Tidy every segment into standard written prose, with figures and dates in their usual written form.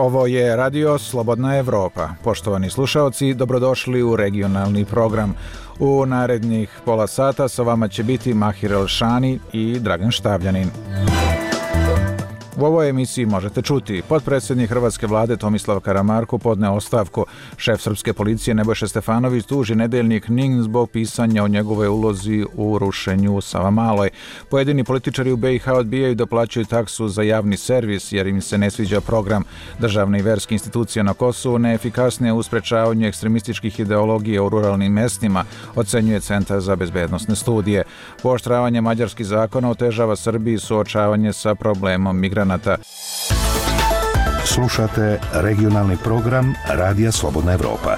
Ovo je Radio Slobodna Evropa. Poštovani slušaoci, dobrodošli u regionalni program. U narednih pola sata sa vama će biti Mahir Elšani i Dragan Štavljanin. U ovoj emisiji možete čuti: potpredsjednik Hrvatske vlade Tomislav Karamarko podneo ostavku. Šef srpske policije Nebojša Stefanović tuži nedeljnik NIN zbog pisanja o njegovoj ulozi u rušenju u Savamaloj. Pojedini političari u BiH odbijaju da plaćaju taksu za javni servis jer im se ne sviđa program. Državne i verske institucije na Kosovu neefikasnije u sprečavanju ekstremističkih ideologija u ruralnim mestima, ocenjuje Centar za bezbednosne studije. Pooštravanje mađarskih zakona otežava Srbiji suočavanje sa problemom migranata. Slušate regionalni program Radija Slobodna Evropa.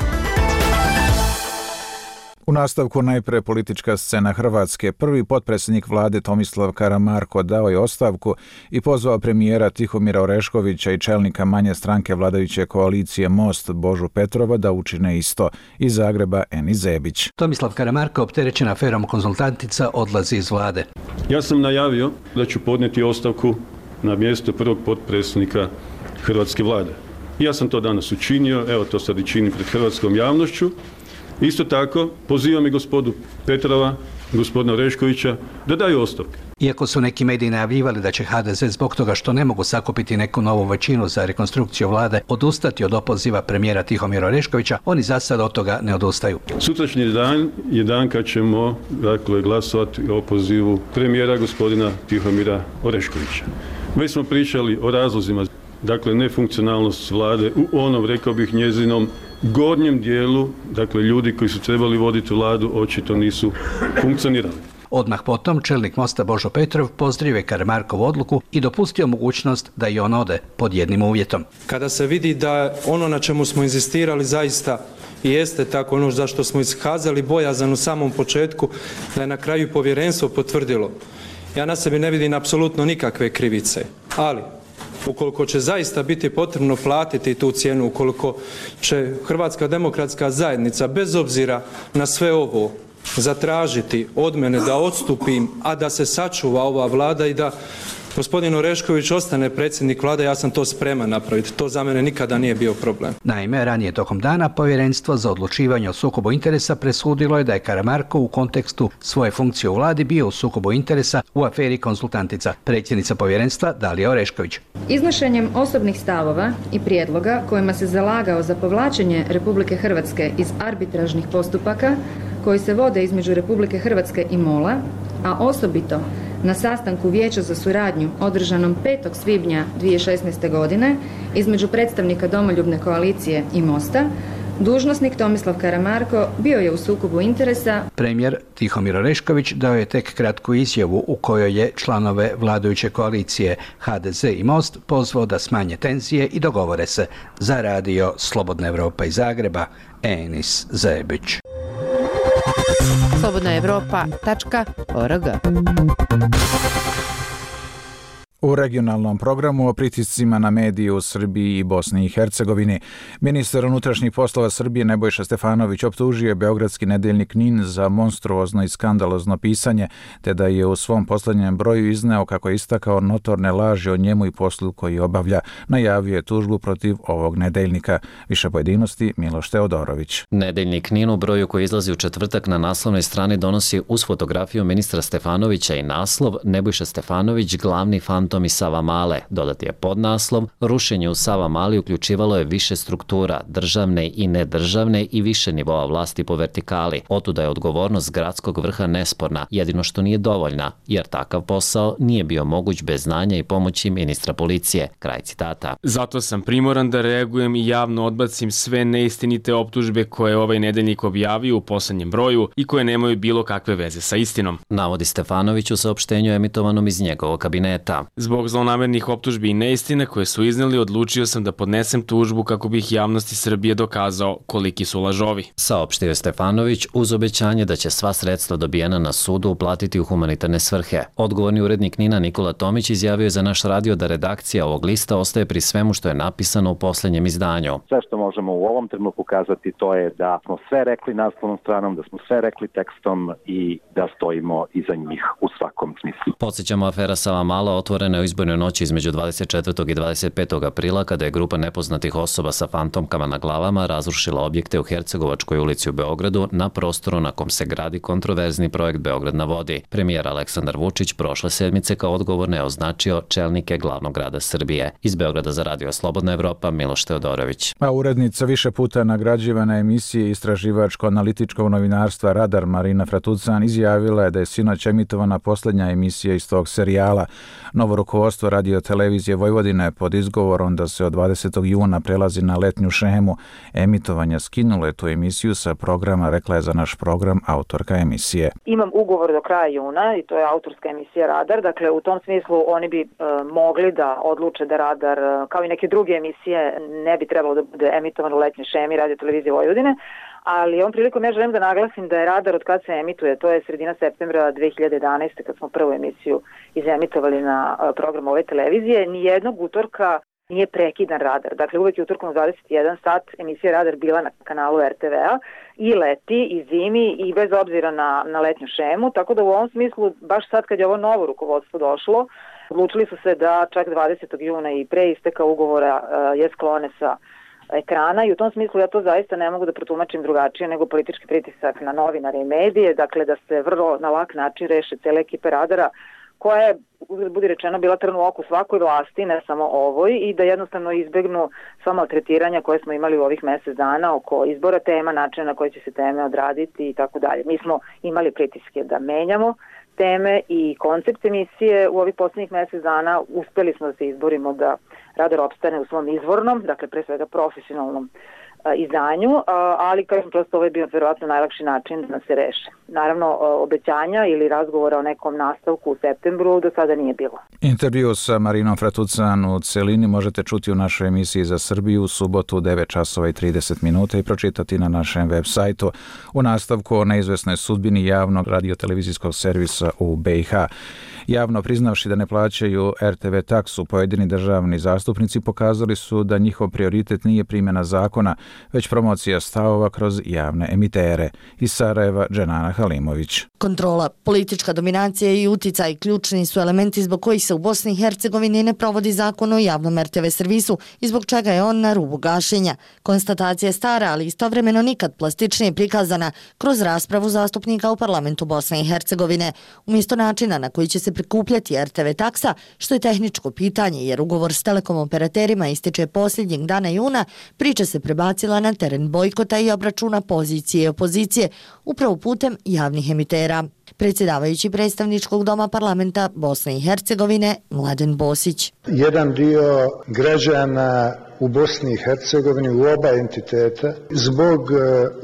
U nastavku najpre politička scena Hrvatske. Prvi potpredsjednik vlade Tomislav Karamarko dao je ostavku i pozvao premijera Tihomira Oreškovića i čelnika manje stranke vladajuće koalicije Most Božu Petrova da učine isto. Iz Zagreba Eni Zebić. Tomislav Karamarko, opterećen aferom konzultantica, odlazi iz vlade. Ja sam najavio da ću podnijeti ostavku na mjesto prvog potpredsjednika Hrvatske vlade. Ja sam to danas učinio, evo to sad i činim pred hrvatskom javnošću. Isto tako pozivam i gospodu Petrova, gospodina Oreškovića da daju ostavke. Iako su neki mediji najavljivali da će HDZ zbog toga što ne mogu sakupiti neku novu većinu za rekonstrukciju vlade odustati od opoziva premijera Tihomira Oreškovića, oni za sad od toga ne odustaju. Sutrašnji dan je dan kad ćemo glasovati o opozivu premijera gospodina Tihomira Oreškovića. Već smo pričali o razlozima, nefunkcionalnost vlade u onom, rekao bih, njezinom gornjem dijelu, ljudi koji su trebali voditi vladu očito nisu funkcionirali. Odmah potom čelnik Mosta Božo Petrov pozdravio je Karamarkovu odluku i dopustio mogućnost da i on ode pod jednim uvjetom. Kada se vidi da ono na čemu smo inzistirali zaista i jeste tako, ono za što smo iskazali bojazan u samom početku, da je na kraju povjerenstvo potvrdilo. Ja na sebi ne vidim apsolutno nikakve krivice, ali ukoliko će zaista biti potrebno platiti tu cijenu, ukoliko će Hrvatska demokratska zajednica bez obzira na sve ovo zatražiti od mene da odstupim, a da se sačuva ova vlada i da gospodin Orešković ostane predsjednik vlade, ja sam to spreman napraviti. To za mene nikada nije bio problem. Naime, ranije tokom dana Povjerenstvo za odlučivanje o sukobu interesa presudilo je da je Karamarko u kontekstu svoje funkcije u vladi bio u sukobu interesa u aferi konzultantica. Predsjednica povjerenstva Dalija Orešković. Iznošenjem osobnih stavova i prijedloga kojima se zalagao za povlačenje Republike Hrvatske iz arbitražnih postupaka koji se vode između Republike Hrvatske i MOL-a, a osobito na sastanku Vijeća za suradnju održanom 5. svibnja 2016. godine između predstavnika Domoljubne koalicije i Mosta, dužnosnik Tomislav Karamarko bio je u sukobu interesa. Premijer Tihomir Orešković dao je tek kratku izjavu u kojoj je članove vladajuće koalicije HDZ i Most pozvao da smanje tenzije i dogovore se. Za Radio Slobodna Evropa iz Zagreba, Enis Zebić. slobodnaevropa.org. U regionalnom programu o pritiscima na medije u Srbiji i Bosni i Hercegovini. Ministar unutrašnjih poslova Srbije Nebojša Stefanović optužio je beogradski nedeljnik NIN za monstruozno i skandalozno pisanje, te da je u svom posljednjem broju izneo kako je istakao notorne laži o njemu i poslu koji obavlja. Najavio je tužbu protiv ovog nedeljnika. Više pojedinosti Miloš Teodorović. Nedeljnik NIN u broju koji izlazi u četvrtak na naslovnoj strani donosi uz fotografiju ministra Stefanovića i naslov Nebojša Stefanović, glavni fantom i Savamale. Dodati je podnaslov: rušenje u Savamali uključivalo je više struktura, državne i nedržavne i više nivoa vlasti po vertikali. Otuda je odgovornost gradskog vrha nesporna, jedino što nije dovoljna, jer takav posao nije bio moguć bez znanja i pomoći ministra policije. Kraj citata. Zato sam primoran da reagujem i javno odbacim sve neistinite optužbe koje je ovaj nedeljnik objavio u poslednjem broju i koje nemaju bilo kakve veze sa istinom, navodi Stefanović u saopštenju emitovanom iz njegovog kabineta. Zbog zlonamernih optužbi i neistine koje su izneli, odlučio sam da podnesem tužbu kako bih javnosti Srbije dokazao koliki su lažovi, saopštio je Stefanović uz obećanje da će sva sredstva dobijena na sudu uplatiti u humanitarne svrhe. Odgovorni urednik NIN-a Nikola Tomić izjavio je za naš radio da redakcija ovog lista ostaje pri svemu što je napisano u posljednjem izdanju. Sve što možemo u ovom trenutku kazati to je da smo sve rekli naslovnom stranom, da smo sve rekli tekstom i da stojimo iza njih u svakom smislu. Podsjećamo, afera Savamala otvorena održana je u izbornoj noći između 24. i 25. aprila kada je grupa nepoznatih osoba sa fantomkama na glavama razrušila objekte u Hercegovačkoj ulici u Beogradu na prostoru na kom se gradi kontroverzni projekt Beograd na vodi. Premijer Aleksandar Vučić prošle sedmice kao odgovorne je označio čelnike glavnog grada Srbije. Iz Beograda za Radio Slobodna Evropa, Miloš Teodorović. A urednica više puta nagrađivana emisije istraživačko-analitičkog novinarstva Radar Marina Fratucan izjavila je da je sinoć emitovana posljednja emisija iz tog serijala. Novo rukovodstvo Radio Televizije Vojvodine pod izgovorom da se od 20. juna prelazi na letnju šemu emitovanja skinulo je tu emisiju sa programa, rekla je za naš program autorka emisije. Imam ugovor do kraja juna i to je autorska emisija Radar, dakle u tom smislu oni bi mogli da odluče da Radar, kao i neke druge emisije, ne bi trebalo da bude emitovan u letnjoj šemi Radio Televizije Vojvodine, ali ovom prilikom ja želim da naglasim da je Radar od kad se emituje, to je sredina septembra 2011. kad smo prvu emisiju izemitovali na program ove televizije, nijednog utorka nije prekidan Radar. Dakle, uvek je utorkom u 21 sat emisija Radar bila na kanalu RTV-a i leti, i zimi, i bez obzira na letnju šemu, tako da u ovom smislu, baš sad kad je ovo novo rukovodstvo došlo, odlučili su se da čak 20. juna i pre isteka ugovora je sklone sa ekrana i u tom smislu ja to zaista ne mogu da protumačim drugačije nego politički pritisak na novinare i medije, dakle da se vrlo na lak način reše cele ekipe Radara koja je, budi rečeno, bila trn u oku svakoj vlasti, ne samo ovoj, i da jednostavno izbegnu sva maltretiranja koje smo imali u ovih mesec dana oko izbora tema, načina na koji će se teme odraditi i tako dalje. Mi smo imali pritiske da menjamo teme i koncept emisije u ovih posljednjih mesec dana. Uspeli smo da se izborimo da Radar opstane u svom izvornom, dakle pre svega profesionalnom izdanju, ali kažem prosto ovo je bio verovatno najlakši način da se reše. Naravno, obećanja ili razgovora o nekom nastavku u septembru do sada nije bilo. Intervju sa Marinom Fratucan u celini možete čuti u našoj emisiji za Srbiju u subotu u 9:30 i pročitati na našem web sajtu u nastavku o neizvesnoj sudbini javnog radiotelevizijskog servisa u BiH. Javno priznavši da ne plaćaju RTV taksu, pojedini državni zastupnici pokazali su da njihov prioritet nije primjena zakona, već promocija stavova kroz javne emitere. Iz Sarajeva, Dženana Halimović. Kontrola, politička dominacija i uticaj ključni su elementi zbog kojih se u Bosni i Hercegovini ne provodi zakon o javnom RTV servisu i zbog čega je on na rubu gašenja. Konstatacija je stara, ali istovremeno nikad plastičnije prikazana kroz raspravu zastupnika u parlamentu Bosne i Hercegovine. Umjesto načina na koji će se prikupljati RTV taksa, što je tehničko pitanje jer ugovor s telekom operaterima ističe posljednjeg dana juna, priča se prebacila na teren bojkota i obračuna pozicije i opozicije upravo putem javnih emitera. Predsjedavajući predstavničkog doma parlamenta Bosne i Hercegovine Mladen Bosić. Jedan dio građana u Bosni i Hercegovini u oba entiteta zbog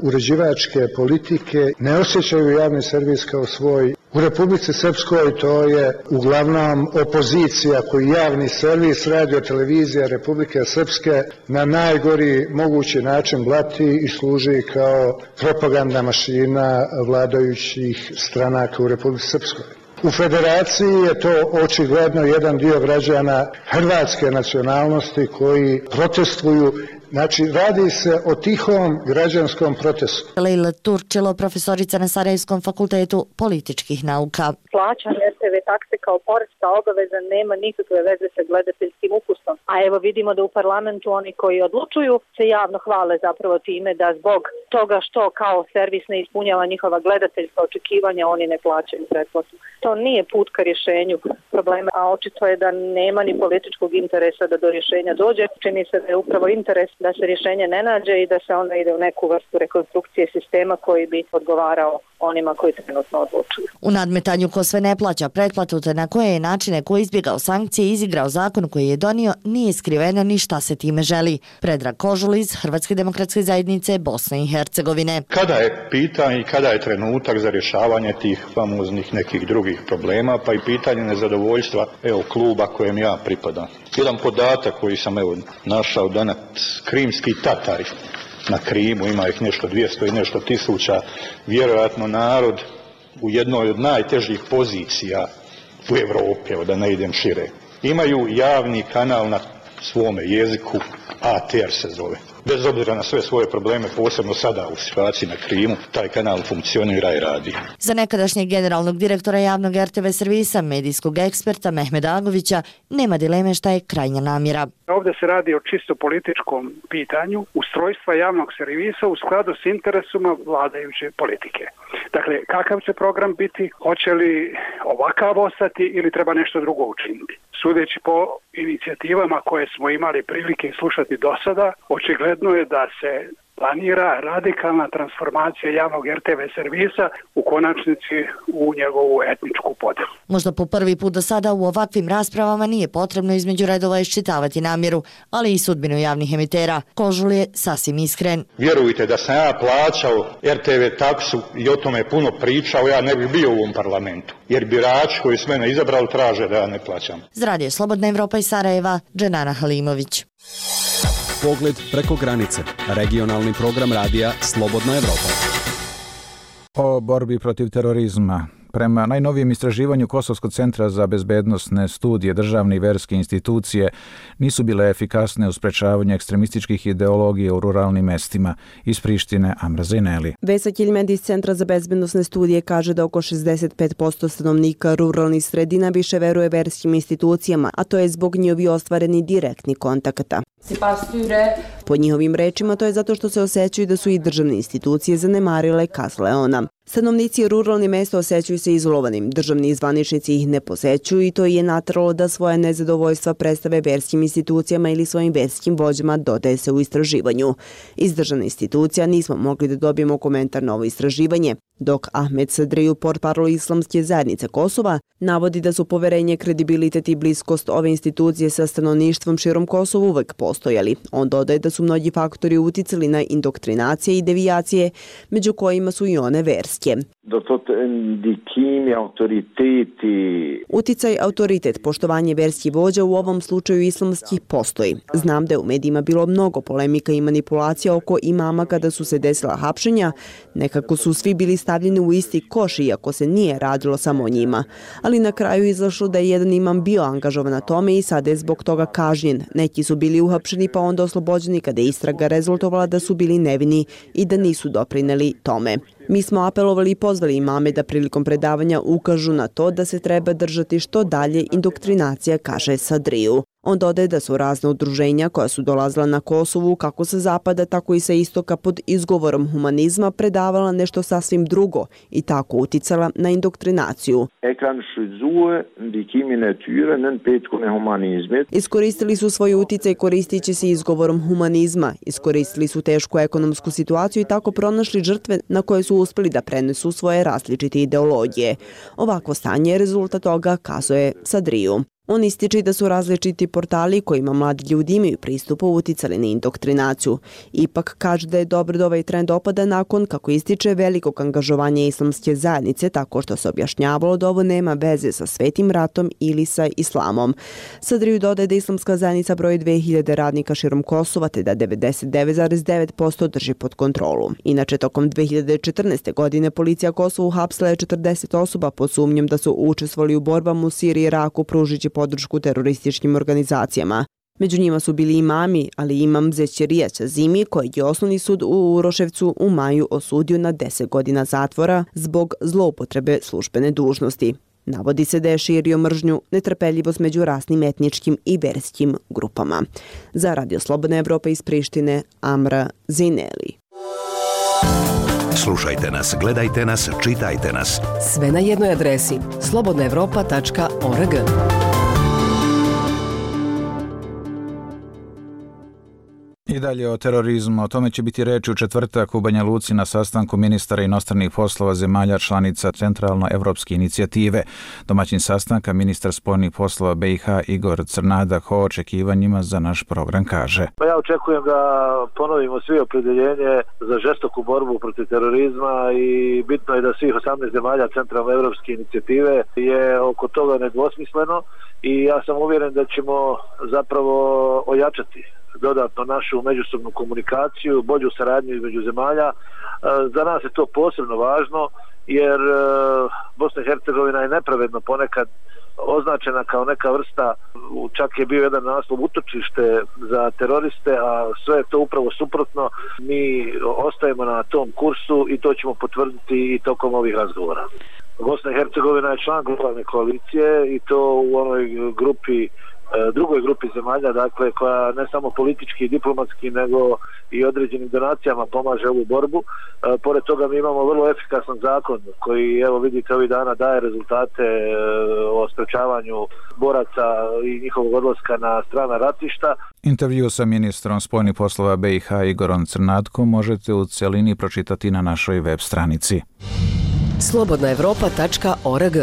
uređivačke politike ne osjećaju javni servis kao svoj. U Republici Srpskoj to je uglavnom opozicija koji javni servis Radio Televizija Republike Srpske na najgori mogući način blati i služi kao propagandna mašina vladajućih stranaka u Republici Srpskoj. U federaciji je to očigledno jedan dio građana hrvatske nacionalnosti koji protestuju. Znači, radi se o tihom građanskom protestu. Lejla Turčilo, profesorica na Sarajevskom fakultetu političkih nauka. Plaćanje RTV takse kao poreska obaveza nema nikakve veze sa gledateljskim ukusom. A evo vidimo da u parlamentu oni koji odlučuju se javno hvale zapravo time da zbog toga što kao servis ne ispunjava njihova gledateljska očekivanja, oni ne plaćaju pretplatu. To nije put ka rješenju problema, a očito je da nema ni političkog interesa da do rješenja dođe. Čini se da je upravo interes da se rješenje ne nađe i da se onda ide u neku vrstu rekonstrukcije sistema koji bi odgovarao onima koji trenutno odlučuju. U nadmetanju ko sve ne plaća pretplatu te na koje je načine koji izbjegao sankcije i izigrao zakon koji je donio, nije skriveno ni šta se time želi. Predrag Kožul iz Hrvatske demokratske zajednice Bosne i Hercegovine. Kada je pitanje i kada je trenutak za rješavanje tih famoznih nekih drugih problema, pa i pitanje nezadovoljstva kluba kojem ja pripadam. Jedan podatak koji sam našao danas, krimski Tatari na Krimu, ima ih nešto 200 i nešto tisuća, vjerojatno narod u jednoj od najtežih pozicija u Europi, da ne idem šire. Imaju javni kanal na svome jeziku, ATR se zove. Bez obzira na sve svoje probleme, posebno sada u situaciji na Krimu, taj kanal funkcionira i radi. Za nekadašnjeg generalnog direktora javnog RTV servisa, medijskog eksperta Mehmeda Agovića, nema dileme šta je krajnja namjera. Ovdje se radi o čisto političkom pitanju ustrojstva javnog servisa u skladu s interesima vladajuće politike. Dakle, kakav će program biti, hoće li ovakav ostati ili treba nešto drugo učiniti. Sudeći po inicijativama koje smo imali prilike slušati do sada, očigledno je da se planira radikalna transformacija javnog RTV servisa, u konačnici u njegovu etničku podjelu. Možda po prvi put do sada u ovakvim raspravama nije potrebno između redova iščitavati namjeru, ali i sudbinu javnih emitera. Kožul je sasvim iskren. Vjerujte da sam ja plaćao RTV taksu i o tome puno pričao, ja ne bih bio u ovom parlamentu. Jer birači koji su mene izabrali traže da ja ne plaćam. Z Radio Slobodna Evropa iz Sarajeva, Dženana Halimović. Pogled preko granice. Regionalni program radija Slobodna Evropa. O borbi protiv terorizma. Prema najnovijem istraživanju Kosovskog centra za bezbednosne studije, državne i verske institucije nisu bile efikasne u sprečavanju ekstremističkih ideologija u ruralnim mestima. Iz Prištine, Amra Zejneli. Vesa Kiljmed iz Centra za bezbednosne studije kaže da oko 65% stanovnika ruralnih sredina više veruje verskim institucijama, a to je zbog njihovi ostvareni direktni kontakata. Po njihovim rečima to je zato što se osjećaju da su i državne institucije zanemarile Kas Leona. Stanovnici ruralnih mesta osjećaju se izolovanim, državni zvaničnici ih ne posećuju i to je nateralo da svoje nezadovoljstva predstave verskim institucijama ili svojim verskim vođama, dodaje se u istraživanju. Iz državne institucija nismo mogli da dobijemo komentar na ovo istraživanje, dok Ahmed Sadriju, portparol Islamske zajednice Kosova, navodi da su poverenje, kredibilitet i bliskost ove institucije sa stanovništvom širom Kosova uvek postojali. On dodaje da su mnogi faktori uticali na indoktrinacije i devijacije, među kojima su i one verske. Uticaj, autoritet, poštovanje verskih vođa u ovom slučaju islamskih postoji. Znam da je u medijima bilo mnogo polemika i manipulacija oko imama kada su se desila hapšenja. Nekako su svi bili stavljeni u isti koš, iako se nije radilo samo o njima. Ali na kraju izašlo da je jedan imam bio angažovan na tome i sada je zbog toga kažnjen. Neki su bili uhapšeni pa onda oslobođeni kada je istraga rezultovala da su bili nevini i da nisu doprineli tome. Mi smo apelovali i pozvali imame da prilikom predavanja ukažu na to da se treba držati što dalje indoktrinacija, kaže Sadriju. On dodaje da su razne udruženja koja su dolazila na Kosovu kako sa zapada, tako i sa istoka pod izgovorom humanizma predavala nešto sasvim drugo i tako uticala na indoktrinaciju. Iskoristili su svoj uticaj koristići se izgovorom humanizma, iskoristili su tešku ekonomsku situaciju i tako pronašli žrtve na koje su uspeli da prenesu svoje različite ideologije. Ovako stanje je rezultat toga, kazuje Sadriju. On ističe da su različiti portali kojima mladi ljudi imaju pristup uticali na indoktrinaciju. Ipak kaže da je dobro da ovaj trend opada nakon, kako ističe, velikog angažovanja islamske zajednice, tako što se objašnjavalo da ovo nema veze sa Svetim ratom ili sa islamom. Sadriju dodaje da islamska zajednica broji 2000 radnika širom Kosova, te da 99,9% drži pod kontrolu. Inače, tokom 2014. godine policija Kosovu uhapsila je 40 osoba pod sumnjom da su učestvovali u borbama u Siriji i Iraku pružići podršku terorističkim organizacijama. Među njima su bili imami, ali imam Zećerija Ćazimi, kojeg je osnovni sud u Uroševcu u maju osudio na 10 godina zatvora zbog zloupotrebe službene dužnosti. Navodi se da je širio mržnju, netrpeljivost među rasnim etničkim i verskim grupama. Za Radio Slobodna Evropa iz Prištine, Amra Zejneli. Slušajte nas, gledajte nas, čitajte nas. Sve na jednoj adresi slobodnaevropa.org. I dalje o terorizmu. O tome će biti reči u četvrtak u Banja Luci na sastanku ministara inostranih poslova zemalja članica Centralno-evropske inicijative. Domaćin sastanka, ministar spoljnih poslova BiH Igor Crnadak o očekivanjima za naš program kaže. Ja očekujem da ponovimo svi opredjeljenje za žestoku borbu protiv terorizma i bitno je da svih 18 zemalja Centralno-evropske inicijative je oko toga nedvosmisleno i ja sam uvjeren da ćemo zapravo ojačati dodatno našu međusobnu komunikaciju, bolju saradnju između zemalja. Za nas je to posebno važno jer Bosna i Hercegovina je nepravedno ponekad označena kao neka vrsta, čak je bio jedan naslov utočište za teroriste, a sve je to upravo suprotno. Mi ostajemo na tom kursu i to ćemo potvrditi i tokom ovih razgovora. Bosna i Hercegovina je član globalne koalicije i to u onoj grupi, drugoj grupi zemalja, dakle, koja ne samo politički i diplomatski, nego i određenim donacijama pomaže ovu borbu. Pored toga mi imamo vrlo efikasan zakon koji, evo vidite, ovih dana daje rezultate o sprečavanju boraca i njihovog odlaska na strana ratišta. Intervju sa ministrom spoljnih poslova BiH Igorom Crnatkom možete u celini pročitati na našoj web stranici. slobodnaevropa.org.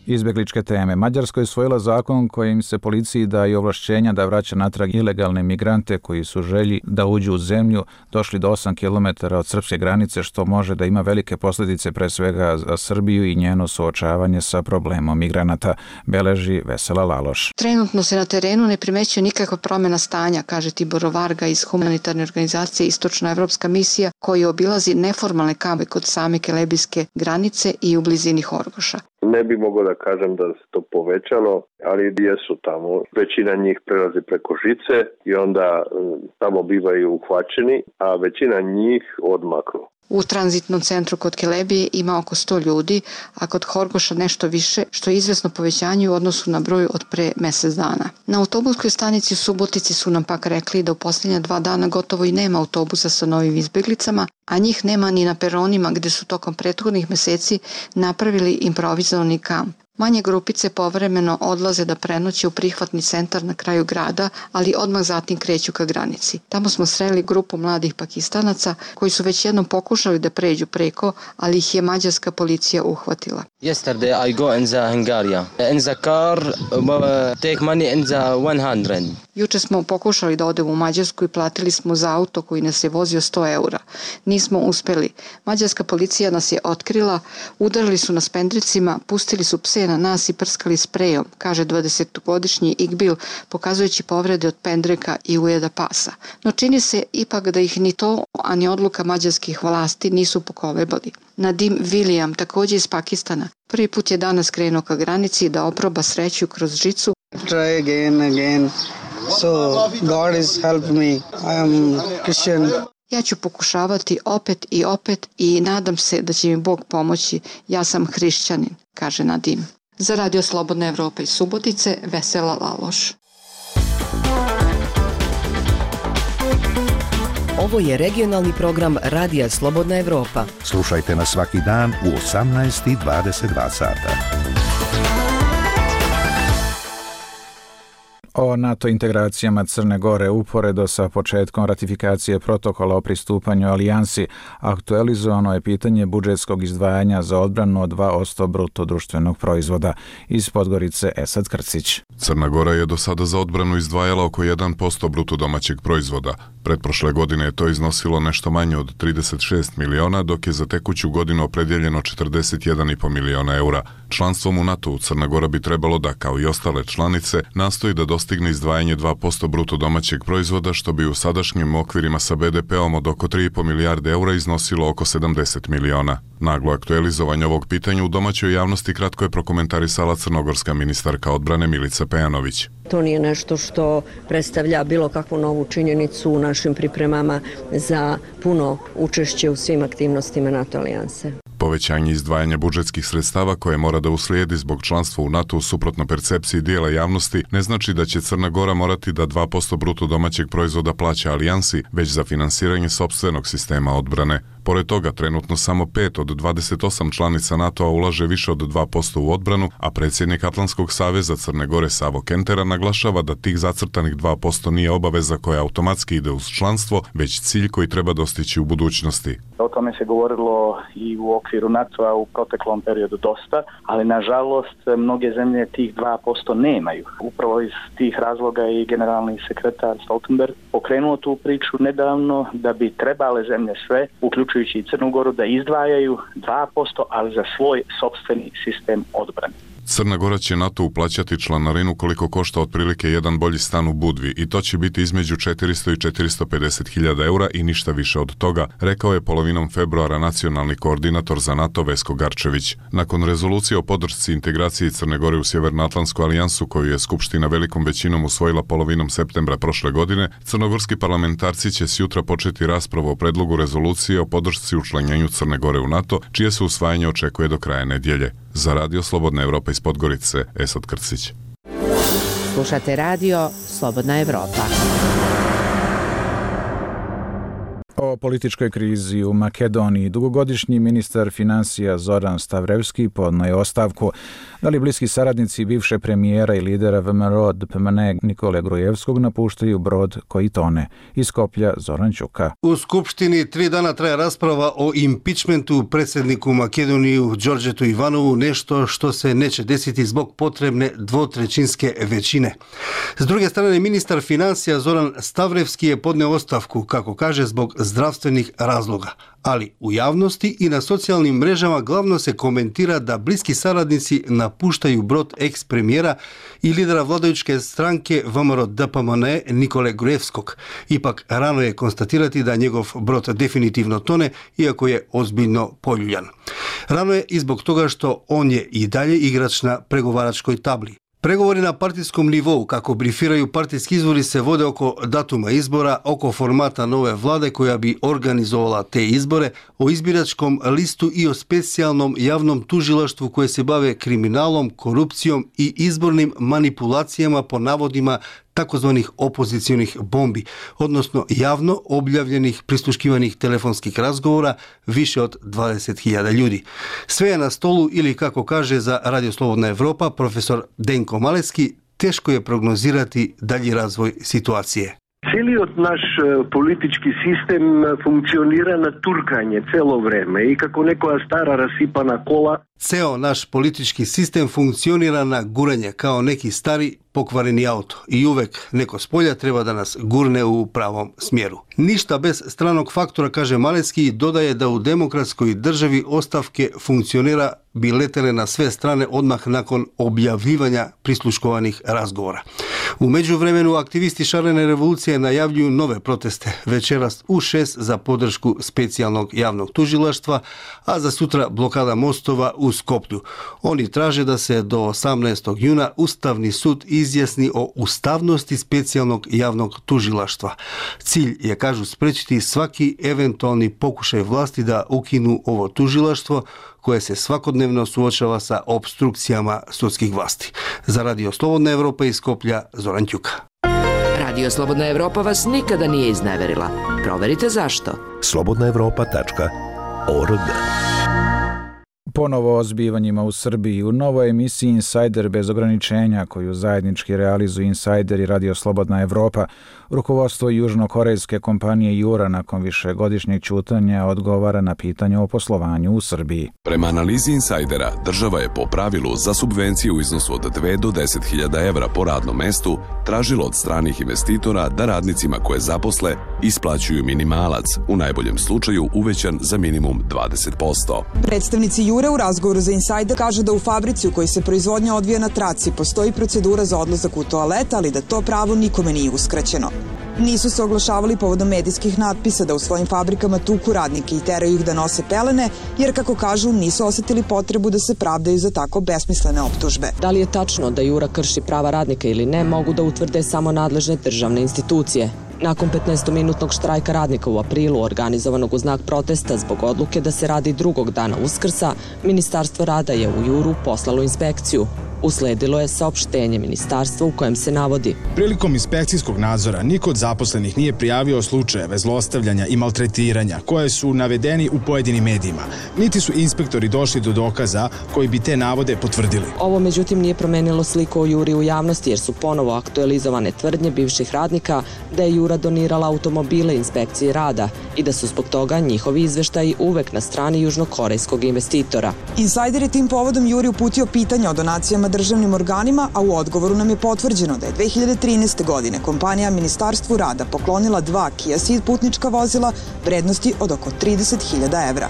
Izbjegličke teme. Mađarska je usvojila zakon kojim se policiji daje ovlašćenja da vraća natrag ilegalne migrante koji su želji da uđu u zemlju, došli do 8 km od srpske granice, što može da ima velike posljedice pre svega za Srbiju i njeno suočavanje sa problemom migranata, beleži Vesela Laloš. Trenutno se na terenu ne primećuje nikakva promjena stanja, kaže Tibor Varga iz humanitarne organizacije Istočna evropska misija, koji obilazi neformalne kampe kod same kelebijske granice i u blizini Horgoša. Ne bi mogao da kažem da se to povećalo, ali jesu tamo. Većina njih prelazi preko žice i onda tamo bivaju uhvaćeni, a većina njih odmaknu. U tranzitnom centru kod Kelebije ima oko 100 ljudi, a kod Horgoša nešto više, što je izvesno povećanje u odnosu na broj od pre mjesec dana. Na autobuskoj stanici u Subotici su nam pak rekli da u posljednja 2 dana gotovo i nema autobusa sa novim izbjeglicama, a njih nema ni na peronima gdje su tokom prethodnih mjeseci napravili improvizovani kamp. Manje grupice povremeno odlaze da prenoće u prihvatni centar na kraju grada, ali odmah zatim kreću ka granici. Tamo smo sreli grupu mladih Pakistanaca koji su već jednom pokušali da pređu preko, ali ih je mađarska policija uhvatila. Yesterday I go in the Hungary. In the car take money in the 100. Juče smo pokušali da odemo u Mađarsku i platili smo za auto koji nas je vozio 100 eura. Nismo uspeli. Mađarska policija nas je otkrila, udarili su nas pendricima, pustili su pse na nas i prskali sprejom, kaže 20-godišnji Igbil, pokazujući povrede od pendreka i ujeda pasa. No čini se ipak da ih ni to, a ni odluka mađarskih vlasti nisu pokolebali. Nadim William, također iz Pakistana, prvi put je danas krenuo ka granici da oproba sreću kroz žicu. Try again. So God has helped me. I am Christian. Ja ću pokušavati opet i nadam se da će mi Bog pomoći. Ja sam hrišćanin, kaže Nadim. Za Radio Slobodna Evropa iz Subotice, Vesela Laloš. Ovo je regionalni program Radija Slobodna Evropa. Slušajte nas svaki dan u 18:22 sata. O NATO integracijama Crne Gore uporedo sa početkom ratifikacije protokola o pristupanju alijansi aktualizovano je pitanje budžetskog izdvajanja za odbranu od 2% bruto društvenog proizvoda. Iz Podgorice Esad Krcić. Crna Gora je do sada za odbranu izdvajala oko 1% bruto domaćeg proizvoda. Pretprošle godine je to iznosilo nešto manje od 36 miliona, dok je za tekuću godinu opredjeljeno 41,5 miliona eura. Članstvom u NATO-u Crna Gora bi trebalo da, kao i ostale članice, nastoji da dostigne izdvajanje 2% bruto domaćeg proizvoda, što bi u sadašnjim okvirima sa BDP-om od oko 3,5 milijarde eura iznosilo oko 70 miliona. Naglo aktualizovanje ovog pitanja u domaćoj javnosti kratko je prokomentarisala crnogorska ministarka odbrane Milica Pejanović. To nije nešto što predstavlja bilo kakvu novu činjenicu u našim pripremama za puno učešće u svim aktivnostima NATO alijanse. Povećanje izdvajanja budžetskih sredstava koje mora da uslijedi zbog članstva u NATO suprotno percepciji dijela javnosti ne znači da će Crna Gora morati da 2% bruto domaćeg proizvoda plaća alijansi, već za finansiranje sopstvenog sistema odbrane. Pored toga, trenutno samo 5 od 28 članica NATO-a ulaže više od 2% u odbranu, a predsjednik Atlantskog saveza Crne Gore Savo Kentera naglašava da tih zacrtanih 2% nije obaveza koja automatski ide uz članstvo, već cilj koji treba dostići u budućnosti. O tome se govorilo i u okviru NATO-a u proteklom periodu dosta, ali nažalost mnoge zemlje tih 2% nemaju. Upravo iz tih razloga i generalni sekretar Stoltenberg pokrenuo tu priču nedavno da bi trebale zemlje sve, uključujući i Crnu Goru, da izdvajaju 2%, ali za svoj sopstveni sistem odbrane. Crna Gora će NATO uplaćati članarinu koliko košta otprilike jedan bolji stan u Budvi i to će biti između 400 i 450 hiljada eura i ništa više od toga, rekao je polovinom februara nacionalni koordinator za NATO Vesko Garčević. Nakon rezolucije o podršci integraciji Crne Gore u Sjevernoatlantsku alijansu koju je Skupština velikom većinom usvojila polovinom septembra prošle godine, crnogorski parlamentarci će sjutra početi raspravu o predlogu rezolucije o podršci učlanjenju Crne Gore u NATO, čije se usvajanje očekuje do kraja nedjelje. Za Radio Slobodna Evropa iz Podgorice, Esad Krcić. Slušate radio Slobodna Evropa. O političkoj krizi u Makedoniji dugogodišnji ministar financija Zoran Stavrevski podnio je ostavku. Da li bliski saradnici bivše premijera i lidera VMRO DPMN Nikole Grujevskog napuštaju brod koji tone? Iz Skoplja Zoran Ćuka. U Skupštini 3 dana traje rasprava o impičmentu predsjedniku Makedoniju Đorđetu Ivanovu, nešto što se neće desiti zbog potrebne dvotrećinske većine. S druge strane, ministar financija Zoran Stavrevski je podnio ostavku, kako kaže, zbog zdravstvenih razloga. Ali u javnosti i na socijalnim mrežama glavno se komentira da bliski saradnici napuštaju brod eks-premijera i lidera vladajuće stranke VMRO DPMN Nikole Grujevskog. Ipak rano je konstatirati da njegov brod definitivno tone, iako je ozbiljno poljuljan. Rano je i zbog toga što on je i dalje igrač na pregovaračkoj tabli. Pregovori na partijskom nivou, kako brifiraju partijski izvori, se vode oko datuma izbora, oko formata nove vlade koja bi organizovala te izbore, o izbiračkom listu i o specijalnom javnom tužilaštvu koje se bave kriminalom, korupcijom i izbornim manipulacijama po navodima takozvanih opozicionih bombi, odnosno javno objavljenih prisluškivanih telefonskih razgovora više od 20.000 ljudi. Sve je na stolu ili, kako kaže za Radio Slobodna Evropa profesor Denko Maleski, teško je prognozirati dalji razvoj situacije. Целиот наш политички систем функционира на туркање цело време и како некоја стара расипана кола. Ceo naš politički sistem funkcionira na guranje kao neki stari pokvareni auto i uvek neko s polja treba da nas gurne u pravom smjeru. Ništa bez stranog faktora, kaže Malecki, i dodaje da u demokratskoj državi ostavke funkcionera bi letele na sve strane odmah nakon objavljivanja prisluškovanih razgovora. U međuvremenu aktivisti šarene revolucije najavljuju nove proteste, večeras u 6 za podršku specijalnog javnog tužilaštva, a za sutra blokada mostova u Skoplju. Oni traže da se do 18. juna Ustavni sud izjasni o ustavnosti specijalnog javnog tužilaštva. Cilj je, kažu, sprečiti svaki eventualni pokušaj vlasti da ukinu ovo tužilaštvo koje se svakodnevno suočava sa opstrukcijama sudskih vlasti. Za Radio Slobodna Evropa iz Skoplja, Zoran Ćuka. Radio Slobodna Evropa vas nikada nije izneverila. Proverite zašto. slobodnaevropa.org. Ponovo o zbivanjima u Srbiji. U novoj emisiji Insider bez ograničenja, koju zajednički realizuju Insider i Radio Slobodna Evropa, rukovodstvo južnokorejske kompanije Jura nakon višegodišnjeg ćutanja odgovara na pitanje o poslovanju u Srbiji. Prema analizi Insidera, država je po pravilu za subvenciju u iznosu od 2 do 10.000 evra po radnom mestu tražilo od stranih investitora da radnicima koje zaposle isplaćuju minimalac, u najboljem slučaju uvećan za minimum 20%. Predstavnici Jure u razgovoru za Insider kaže da u fabrici u kojoj se proizvodnja odvija na traci postoji procedura za odlazak u toalet, ali da to pravo nikome nije uskraćeno. Nisu se oglašavali povodom medijskih natpisa da u svojim fabrikama tuku radnike i teraju ih da nose pelene, jer, kako kažu, nisu osjetili potrebu da se pravdaju za tako besmislene optužbe. Da li je tačno da Jura krši prava radnika ili ne, mogu da utvrde samo nadležne državne institucije. Nakon 15-minutnog štrajka radnika u aprilu, organizovanog u znak protesta zbog odluke da se radi drugog dana Uskrsa, Ministarstvo rada je u Juru poslalo inspekciju. Usledilo je saopštenje ministarstva u kojem se navodi: prilikom inspekcijskog nadzora niko od zaposlenih nije prijavio slučajeve zlostavljanja i maltretiranja koje su navedeni u pojedinim medijima, niti su inspektori došli do dokaza koji bi te navode potvrdili. Ovo međutim nije promenilo sliku o Juri u javnosti, jer su ponovo aktualizovane tvrdnje bivših radnika da je Jura donirala automobile inspekciji rada i da su zbog toga njihovi izveštaji uvek na strani južnokorejskog investitora. Insider je tim povodom Juri uputio pitanje o donacijama državnim organima, a u odgovoru nam je potvrđeno da je 2013. godine kompanija Ministarstvu rada poklonila 2 Kia Ceed putnička vozila vrednosti od oko 30.000 evra.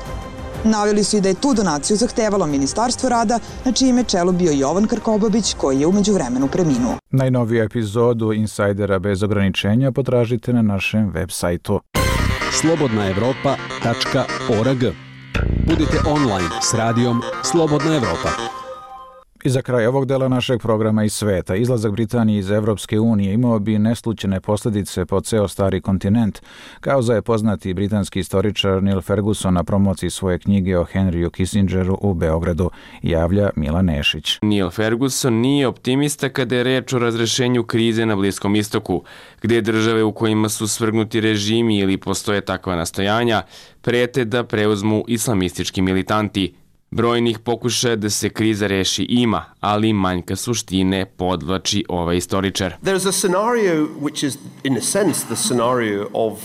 Naveli su i da je tu donaciju zahtevalo Ministarstvo rada, na čijem je čelu bio Jovan Krkobabić, koji je u međuvremenu preminuo. Najnoviju epizodu Insajdera bez ograničenja potražite na našem web sajtu. slobodnaevropa.org. Budite online s radijom Slobodna Evropa. I za kraj ovog dela našeg programa iz sveta, izlazak Britanije iz Evropske unije imao bi neslućene posljedice po ceo stari kontinent, kao za je poznati britanski istoričar Neil Ferguson na promociji svoje knjige o Henryu Kissingeru u Beogradu, javlja Mila Nešić. Neil Ferguson nije optimista kada je reč o razrešenju krize na Bliskom istoku, gde države u kojima su svrgnuti režimi ili postoje takva nastojanja prete da preuzmu islamistički militanti. Brojnih pokušaja da se kriza reši ima, ali manjka suštine, podvlači ovaj istoričar.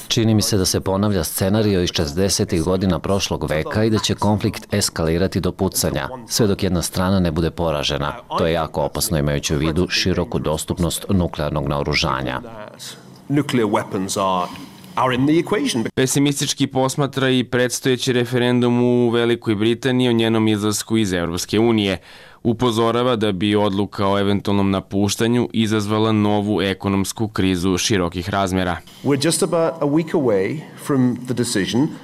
Čini mi se da se ponavlja scenario iz 60. godina prošlog veka i da će konflikt eskalirati do pucanja, sve dok jedna strana ne bude poražena. To je jako opasno imajući u vidu široku dostupnost nuklearnog naoružanja. Pesimistički posmatra i predstojeći referendum u Velikoj Britaniji o njenom izlasku iz Evropske unije. Upozorava da bi odluka o eventualnom napuštanju izazvala novu ekonomsku krizu širokih razmjera.